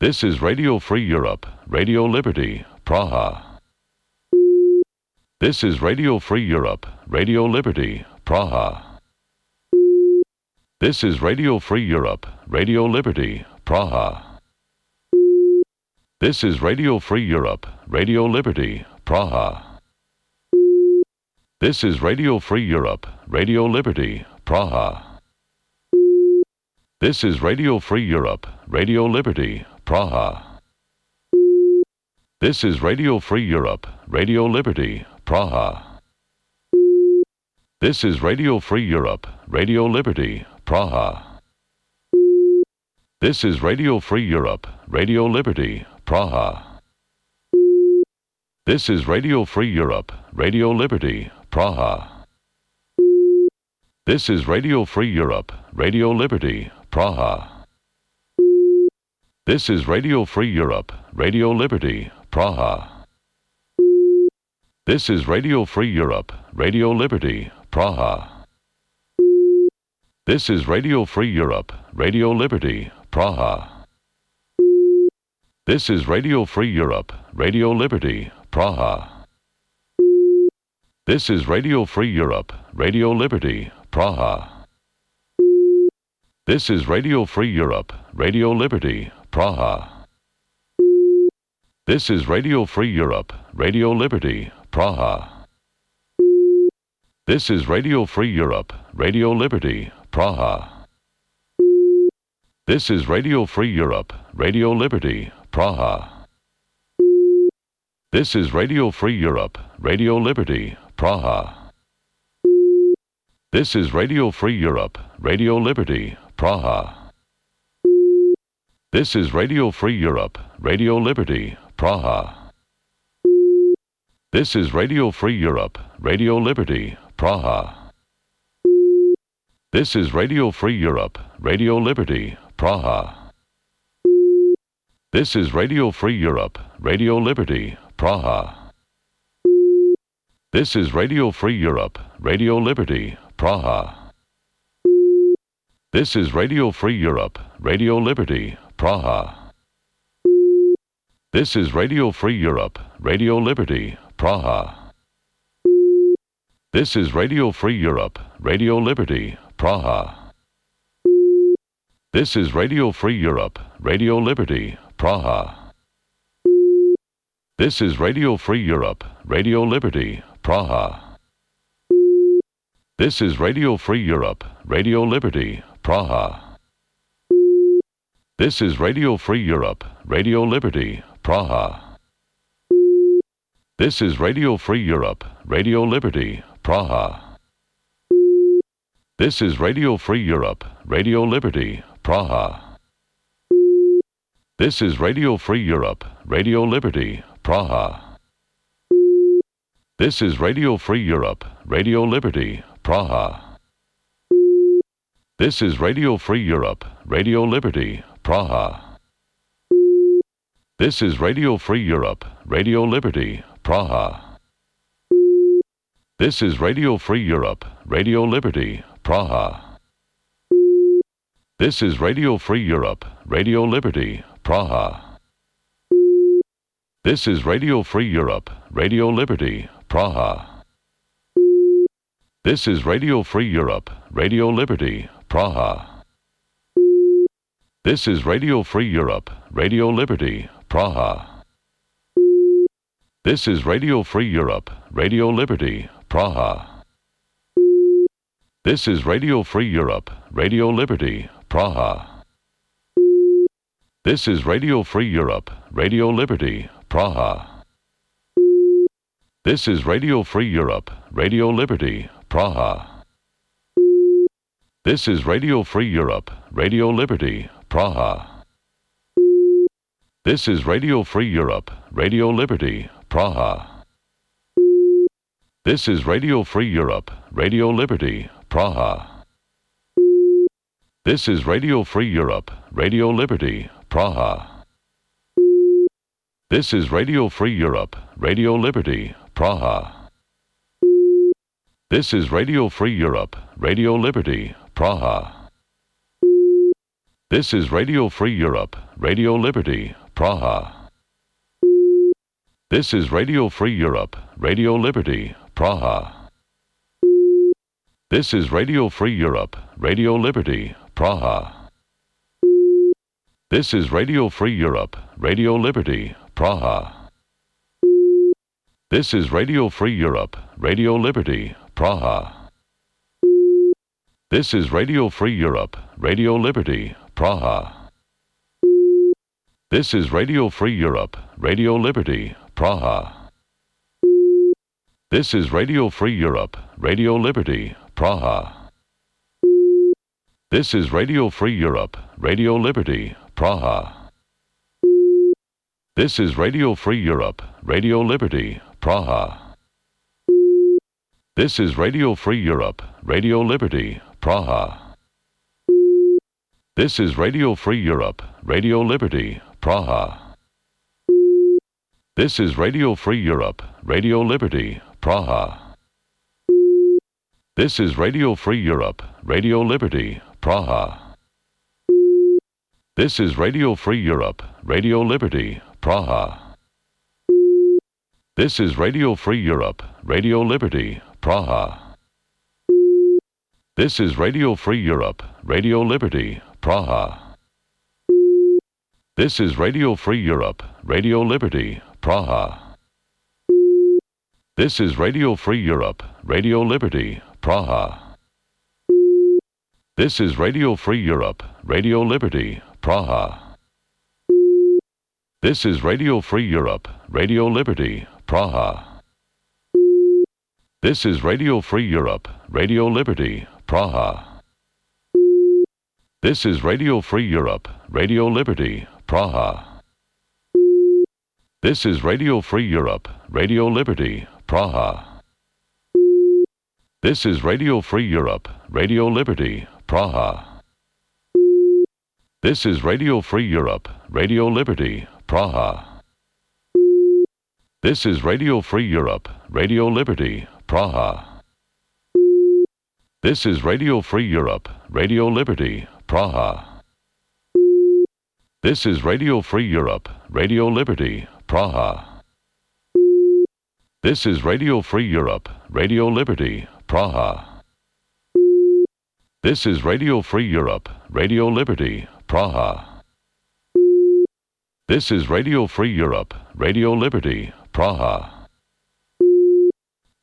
This is Radio Free Europe, Radio Liberty, Praha. This is Radio Free Europe, Radio Liberty, Praha. This is Radio Free Europe, Radio Liberty, Praha. This is Radio Free Europe, Radio Liberty, Praha. This is Radio Free Europe, Radio Liberty, Praha. This is Radio Free Europe, Radio Liberty, Praha. This is Radio Free Europe, Radio Liberty, Praha. This is Radio Free Europe, Radio Liberty, Praha. This is Radio Free Europe, Radio Liberty, Praha. This is Radio Free Europe, Radio Liberty, Praha. This is Radio Free Europe, Radio Liberty, Praha. This is Radio Free Europe, Radio Liberty, Praha. This is Radio Free Europe, Radio Liberty, Praha. This is Radio Free Europe, Radio Liberty, Praha. This is Radio Free Europe, Radio Liberty, Praha. This is Radio Free Europe, Radio Liberty, Praha. This is Radio Free Europe, Radio Liberty, Praha. This is Radio Free Europe, Radio Liberty, Praha. This is Radio Free Europe, Radio Liberty, Praha. This is Radio Free Europe, Radio Liberty, Praha. This is Radio Free Europe, Radio Liberty, Praha. This is Radio Free Europe, Radio Liberty, Praha. This is Radio Free Europe, Radio Liberty, Praha. This is Radio Free Europe, Radio Liberty, Praha. This is Radio Free Europe, Radio Liberty, Praha. This is Radio Free Europe, Radio Liberty, Praha. This is Radio Free Europe, Radio Liberty, Praha. This is Radio Free Europe, Radio Liberty, Praha. This is Radio Free Europe, Radio Liberty, Praha. This is Radio Free Europe, Radio Liberty, Praha. This is Radio Free Europe, Radio Liberty, Praha. This is Radio Free Europe, Radio Liberty, Praha. This is Radio Free Europe, Radio Liberty, Praha. This is Radio Free Europe, Radio Liberty, Praha. This is Radio Free Europe, Radio Liberty, Praha. This is Radio Free Europe, Radio Liberty, Praha. This is Radio Free Europe, Radio Liberty, Praha. This is Radio Free Europe, Radio Liberty, Praha. This is Radio Free Europe, Radio Liberty, Praha. This is Radio Free Europe, Radio Liberty, Praha. This is Radio Free Europe, Radio Liberty, Praha. This is Radio Free Europe, Radio Liberty, Praha. This is Radio Free Europe, Radio Liberty, Praha. This is Radio Free Europe, Radio Liberty, Praha. This is Radio Free Europe, Radio Liberty, Praha. This is Radio Free Europe, Radio Liberty, Praha. This is Radio Free Europe, Radio Liberty, Praha. This is Radio Free Europe, Radio Liberty, Praha. This is Radio Free Europe, Radio Liberty, Praha. This is Radio Free Europe, Radio Liberty, Praha. This is Radio Free Europe, Radio Liberty, Praha. This is Radio Free Europe, Radio Liberty, Praha. This is Radio Free Europe, Radio Liberty, Praha. This is Radio Free Europe, Radio Liberty, Praha. This is Radio Free Europe, Radio Liberty, Praha. This is Radio Free Europe, Radio Liberty, Praha. This is Radio Free Europe, Radio Liberty, Praha. This is Radio Free Europe, Radio Liberty, Praha. This is Radio Free Europe, Radio Liberty, Praha. This is Radio Free Europe, Radio Liberty, Praha. This is Radio Free Europe, Radio Liberty, Praha. This is Radio Free Europe, Radio Liberty, Praha. This is Radio Free Europe, Radio Liberty, Praha. This is Radio Free Europe, Radio Liberty, Praha. This is Radio Free Europe, Radio Liberty, Praha. This is Radio Free Europe, Radio Liberty, Praha. This is Radio Free Europe, Radio Liberty, Praha. This is Radio Free Europe, Radio Liberty, Praha. This is Radio Free Europe, Radio Liberty, Praha. This is Radio Free Europe, Radio Liberty, Praha. This is Radio Free Europe, Radio Liberty, Praha. This is Radio Free Europe, Radio Liberty, Praha. This is Radio Free Europe, Radio Liberty, Praha. This is Radio Free Europe, Radio Liberty, Praha. This is Radio Free Europe, Radio Liberty, Praha. This is Radio Free Europe, Radio Liberty, Praha. This is Radio Free Europe, Radio Liberty, Praha. This is Radio Free Europe, Radio Liberty, Praha. This is Radio Free Europe, Radio Liberty, Praha. This is Radio Free Europe, Radio Liberty, Praha. This is Radio Free Europe, Radio Liberty, Praha. This is Radio Free Europe, Radio Liberty, Praha. This is Radio Free Europe, Radio Liberty, Praha. This is Radio Free Europe, Radio Liberty, Praha. This is Radio Free Europe, Radio Liberty, Praha. This is Radio Free Europe, Radio Liberty, Praha. This is Radio Free Europe, Radio Liberty, Praha.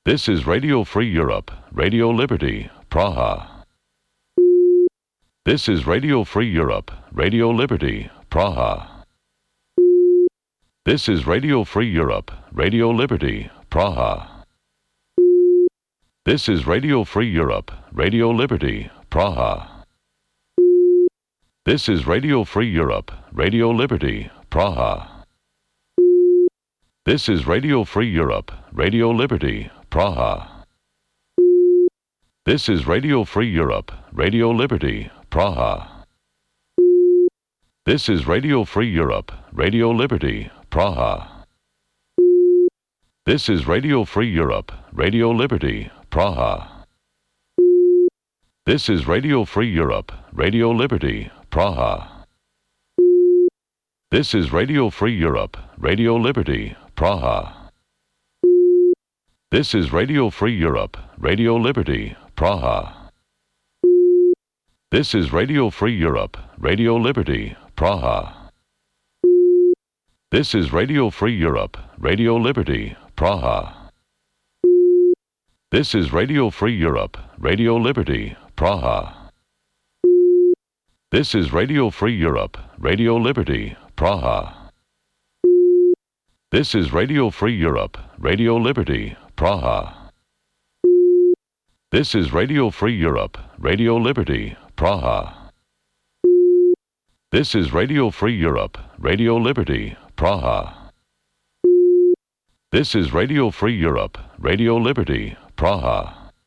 This is Radio Free Europe, Radio Liberty, Praha. This is Radio Free Europe, Radio Liberty, Praha. This is Radio Free Europe, Radio Liberty, Praha. This is Radio Free Europe, Radio Liberty, Praha. This is Radio Free Europe, Radio Liberty, Praha. This is Radio Free Europe, Radio Liberty, Praha. This is Radio Free Europe, Radio Liberty, Praha. This is Radio Free Europe, Radio Liberty, Praha. This is Radio Free Europe, Radio Liberty, Praha. This is Radio Free Europe, Radio Liberty, Praha. This is Radio Free Europe, Radio Liberty, Praha. This is Radio Free Europe, Radio Liberty, Praha. This is Radio Free Europe, Radio Liberty, Praha. This is Radio Free Europe, Radio Liberty, Praha. This is Radio Free Europe, Radio Liberty, Praha. This is Radio Free Europe, Radio Liberty, Praha. This is Radio Free Europe, Radio Liberty, Praha. This is Radio Free Europe, Radio Liberty, Praha. This is Radio Free Europe, Radio Liberty, Praha. This is Radio Free Europe, Radio Liberty, Praha.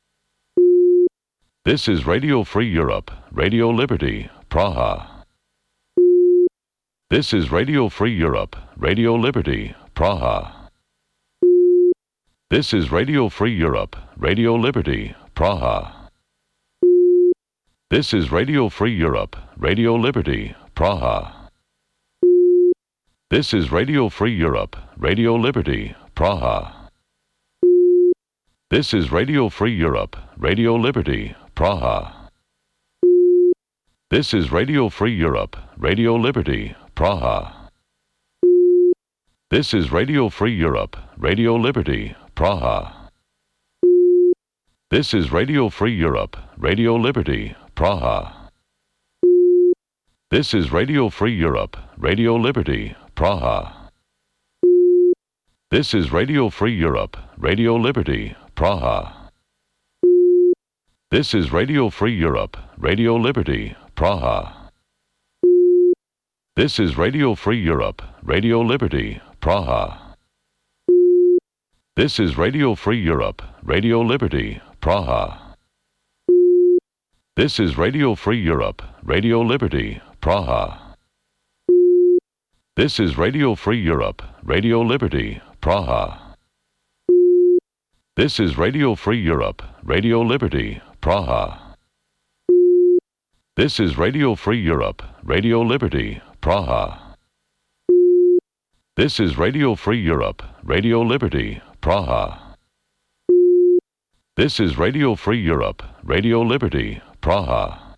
This is Radio Free Europe, Radio Liberty, Praha. This is Radio Free Europe, Radio Liberty, Praha. This is Radio Free Europe, Radio Liberty, Praha. This is Radio Free Europe, Radio Liberty, Praha. This is Radio Free Europe, Radio Liberty, Praha. This is Radio Free Europe, Radio Liberty, Praha. This is Radio Free Europe, Radio Liberty, Praha. This is Radio Free Europe, Radio Liberty, Praha. This is Radio Free Europe, Radio Liberty, Praha. This is Radio Free Europe, Radio Liberty, Praha. This is Radio Free Europe, Radio Liberty, Praha. This is Radio Free Europe, Radio Liberty, Praha. This is Radio Free Europe, Radio Liberty, Praha. This is Radio Free Europe, Radio Liberty, Praha. This is Radio Free Europe, Radio Liberty, Praha. This is Radio Free Europe, Radio Liberty, Praha. This is Radio Free Europe, Radio Liberty, Praha. This is Radio Free Europe, Radio Liberty, Praha. This is Radio Free Europe, Radio Liberty, Praha. This is Radio Free Europe, Radio Liberty, Praha.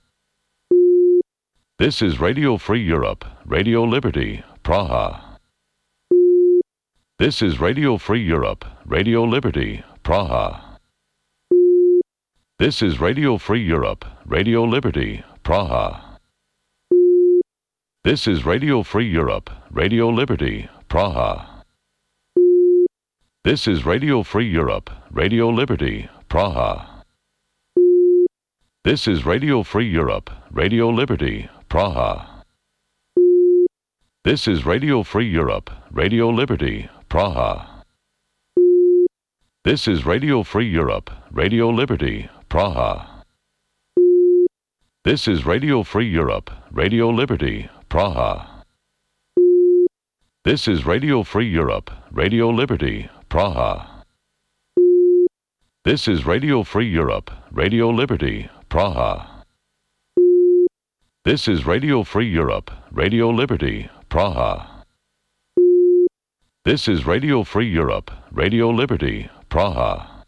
This is Radio Free Europe, Radio Liberty, Praha. This is Radio Free Europe, Radio Liberty, Praha. This is Radio Free Europe, Radio Liberty, Praha. This is Radio Free Europe, Radio Liberty, Praha. This is Radio Free Europe, Radio Liberty, Praha. This is Radio Free Europe, Radio Liberty, Praha. This is Radio Free Europe, Radio Liberty, Praha. This is Radio Free Europe, Radio Liberty, Praha. This is Radio Free Europe, Radio Liberty, Praha. This is Radio Free Europe, Radio Liberty, Praha. This is Radio Free Europe, Radio Liberty, Praha. This is Radio Free Europe, Radio Liberty, Praha. This is Radio Free Europe, Radio Liberty, Praha.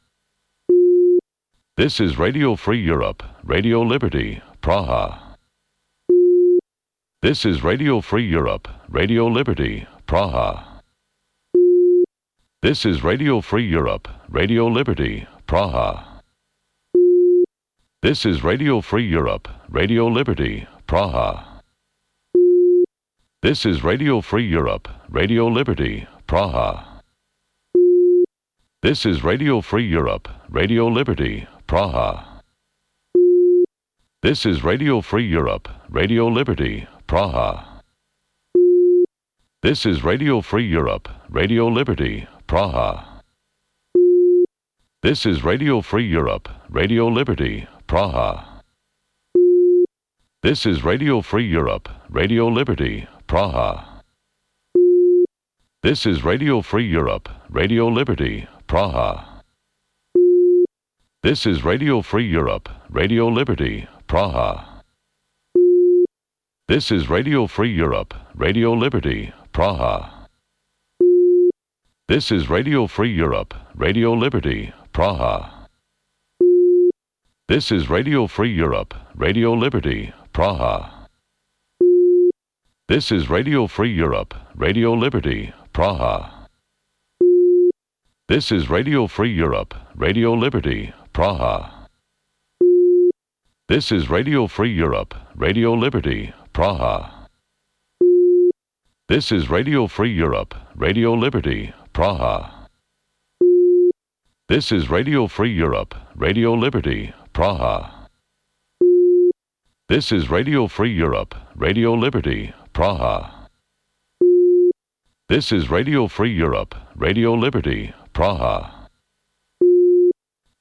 This is Radio Free Europe, Radio Liberty, Praha. This is Radio Free Europe, Radio Liberty, Praha. This is Radio Free Europe, Radio Liberty, Praha. This is Radio Free Europe, Radio Liberty, Praha. This is Radio Free Europe, Radio Liberty, Praha. This is Radio Free Europe, Radio Liberty, Praha. This is Radio Free Europe, Radio Liberty, Praha. This is Radio Free Europe, Radio Liberty, Praha. This is Radio Free Europe, Radio Liberty, Praha. This is Radio Free Europe, Radio Liberty, Praha. This is Radio Free Europe, Radio Liberty, Praha. This is Radio Free Europe, Radio Liberty, Praha. This is Radio Free Europe, Radio Liberty, Praha. This is Radio Free Europe, Radio Liberty, Praha. This is Radio Free Europe, Radio Liberty, Praha. This is Radio Free Europe, Radio Liberty, Praha. This is Radio Free Europe, Radio Liberty, Praha. This is Radio Free Europe, Radio Liberty, Praha. This is Radio Free Europe, Radio Liberty, Praha. This is Radio Free Europe, Radio Liberty, Praha. This is Radio Free Europe, Radio Liberty, Praha. This is Radio Free Europe, Radio Liberty, Praha.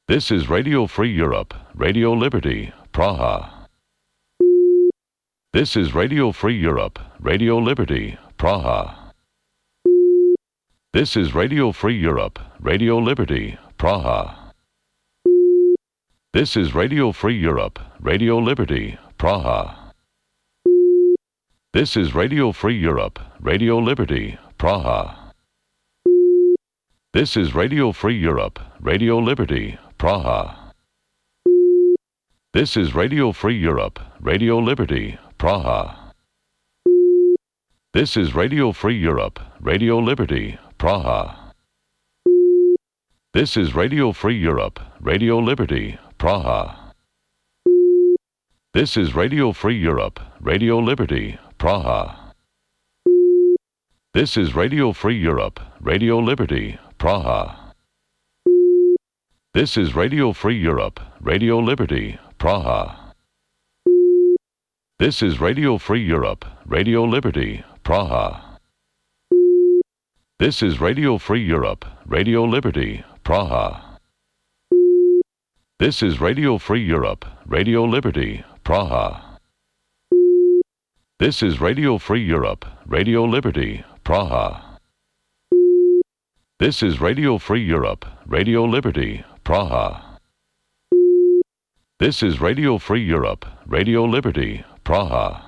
This is Radio Free Europe, Radio Liberty, Praha. This is Radio Free Europe, Radio Liberty, Praha. This is Radio Free Europe, Radio Liberty, Praha. This is Radio Free Europe, Radio Liberty, Praha. This is Radio Free Europe, Radio Liberty, Praha. This is Radio Free Europe, Radio Liberty, Praha. This is Radio Free Europe, Radio Liberty, Praha. This is Radio Free Europe, Radio Liberty, Praha. This is Radio Free Europe, Radio Liberty, Praha. This is Radio Free Europe, Radio Liberty, Praha. This is Radio Free Europe, Radio Liberty, Praha. This is Radio Free Europe, Radio Liberty, Praha. This is Radio Free Europe, Radio Liberty, Praha. This is Radio Free Europe, Radio Liberty, Praha. This is Radio Free Europe, Radio Liberty, Praha. This is Radio Free Europe, Radio Liberty, Praha. This is Radio Free Europe, Radio Liberty, Praha. This is Radio Free Europe, Radio Liberty, Praha.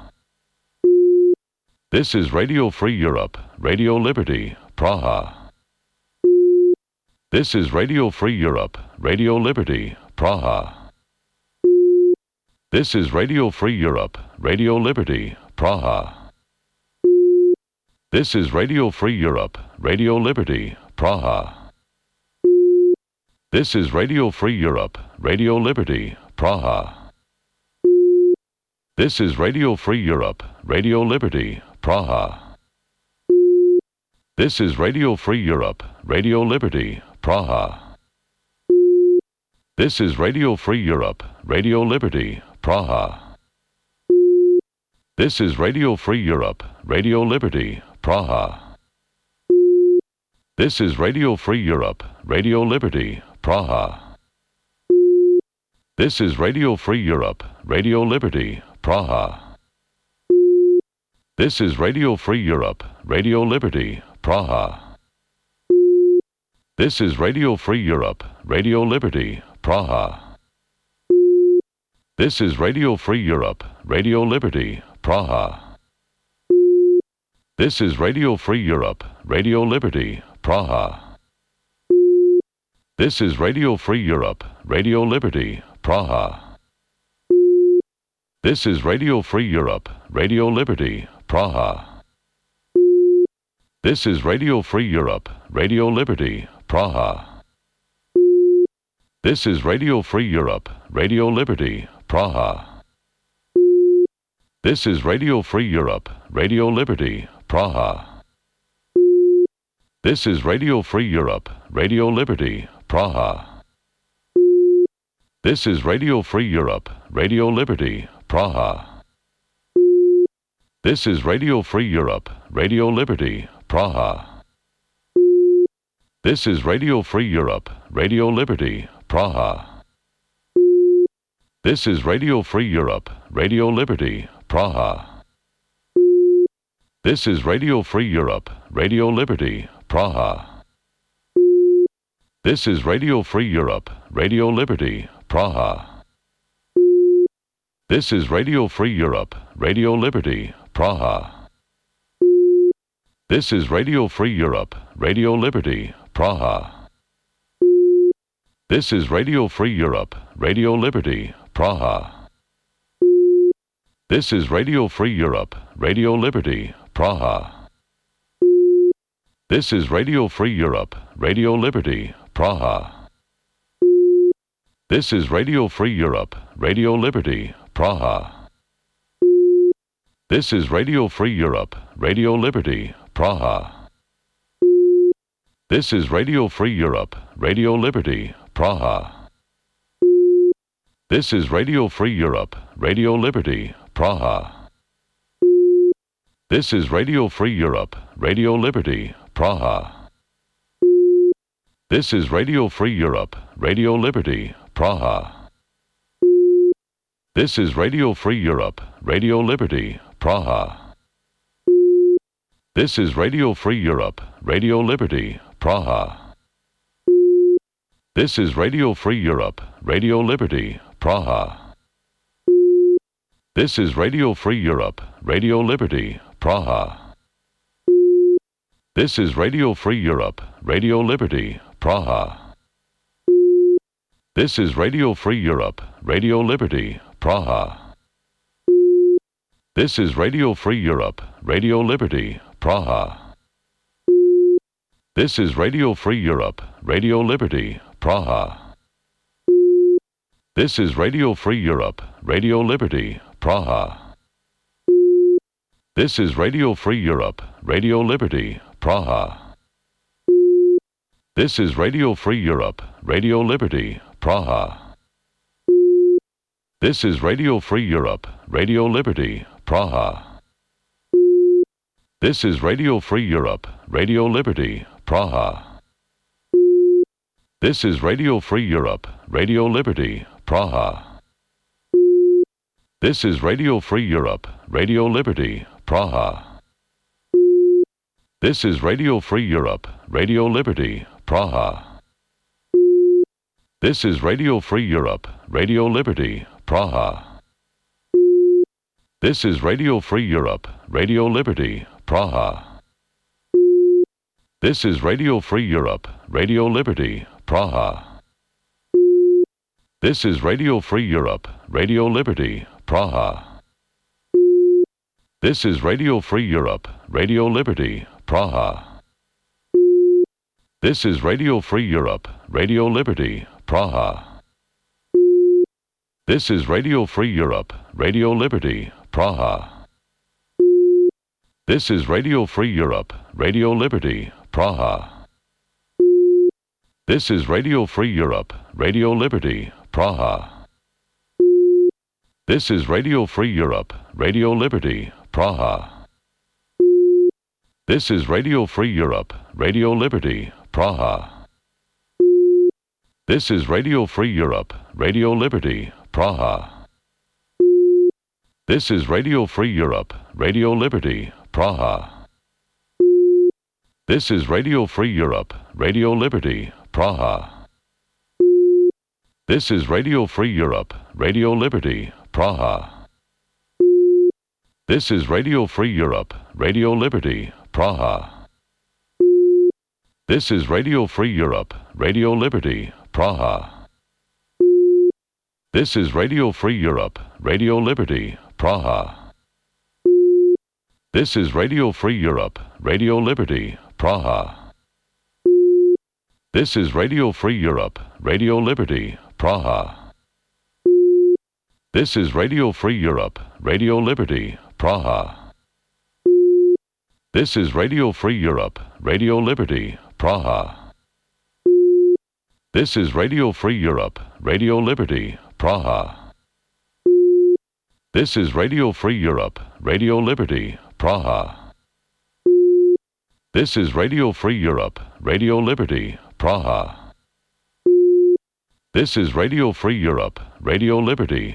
This is Radio Free Europe, Radio Liberty, Praha. This is Radio Free Europe, Radio Liberty, Praha. This is Radio Free Europe, Radio Liberty, Praha. This is Radio Free Europe, Radio Liberty, Praha. This is Radio Free Europe, Radio Liberty, Praha. This is Radio Free Europe, Radio Liberty, Praha. This is Radio Free Europe, Radio Liberty, Praha. This is Radio Free Europe, Radio Liberty, Praha. This is Radio Free Europe, Radio Liberty, Praha. This is Radio Free Europe, Radio Liberty, Praha. This is Radio Free Europe, Radio Liberty, Praha. This is Radio Free Europe, Radio Liberty, Praha. This is Radio Free Europe, Radio Liberty, Praha. This is Radio Free Europe, Radio Liberty, Praha. This is Radio Free Europe, Radio Liberty, Praha. This is Radio Free Europe, Radio Liberty, Praha. This is Radio Free Europe, Radio Liberty, Praha. This is Radio Free Europe, Radio Liberty, Praha. This is Radio Free Europe, Radio Liberty, Praha. This is Radio Free Europe, Radio Liberty, Praha. This is Radio Free Europe, Radio Liberty, Praha. This is Radio Free Europe, Radio Liberty, Praha. This is Radio Free Europe, Radio Liberty, Praha. This is Radio Free Europe, Radio Liberty, Praha. This is Radio Free Europe, Radio Liberty, Praha. This is Radio Free Europe, Radio Liberty, Praha. This is Radio Free Europe, Radio Liberty, Praha. This is Radio Free Europe, Radio Liberty, Praha. This is Radio Free Europe, Radio Liberty, Praha. This is Radio Free Europe, Radio Liberty, Praha. This is Radio Free Europe, Radio Liberty, Praha. This is Radio Free Europe, Radio Liberty, Praha. This is Radio Free Europe, Radio Liberty, Praha. This is Radio Free Europe, Radio Liberty, Praha. This is Radio Free Europe, Radio Liberty, Praha. This is Radio Free Europe, Radio Liberty, Praha. This is Radio Free Europe, Radio Liberty, Praha. This is Radio Free Europe, Radio Liberty, Praha. This is Radio Free Europe, Radio Liberty, Praha. This is Radio Free Europe, Radio Liberty, Praha. This is Radio Free Europe, Radio Liberty, Praha. This is Radio Free Europe, Radio Liberty, Praha. This is Radio Free Europe, Radio Liberty, Praha. This is Radio Free Europe, Radio Liberty, Praha. This is Radio Free Europe, Radio Liberty, Praha. This is Radio Free Europe, Radio Liberty, Praha. This is Radio Free Europe, Radio Liberty, Praha. This is Radio Free Europe, Radio Liberty, Praha. This is Radio Free Europe, Radio Liberty, Praha. This is Radio Free Europe, Radio Liberty, Praha. This is Radio Free Europe, Radio Liberty, Praha. This is Radio Free Europe, Radio Liberty, Praha. This is Radio Free Europe, Radio Liberty, Praha. This is Radio Free Europe, Radio Liberty, Praha. This is Radio Free Europe, Radio Liberty, Praha. This is Radio Free Europe, Radio Liberty, Praha. This is Radio Free Europe, Radio Liberty, Praha. This is Radio Free Europe, Radio Liberty, Praha. This is Radio Free Europe, Radio Liberty, Praha. This is Radio Free Europe, Radio Liberty, Praha. This is Radio Free Europe, Radio Liberty, Praha. This is Radio Free Europe, Radio Liberty, Praha. This is Radio Free Europe, Radio Liberty, Praha. This is Radio Free Europe, Radio Liberty, Praha. This is Radio Free Europe, Radio Liberty, Praha. This is Radio Free Europe, Radio Liberty, Praha. This is Radio Free Europe, Radio Liberty, Praha. This is Radio Free Europe, Radio Liberty, Praha. This is Radio Free Europe, Radio Liberty, Praha. This is Radio Free Europe, Radio Liberty, Praha. This is Radio Free Europe, Radio Liberty, Praha. This is Radio Free Europe, Radio Liberty, Praha. This is Radio Free Europe, Radio Liberty, Praha. This is Radio Free Europe, Radio Liberty, Praha. This is Radio Free Europe, Radio Liberty, Praha. This is Radio Free Europe, Radio Liberty, Praha. This is Radio Free Europe, Radio Liberty, Praha. This is Radio Free Europe, Radio Liberty, Praha. This is Radio Free Europe, Radio Liberty, Praha. This is Radio Free Europe, Radio Liberty,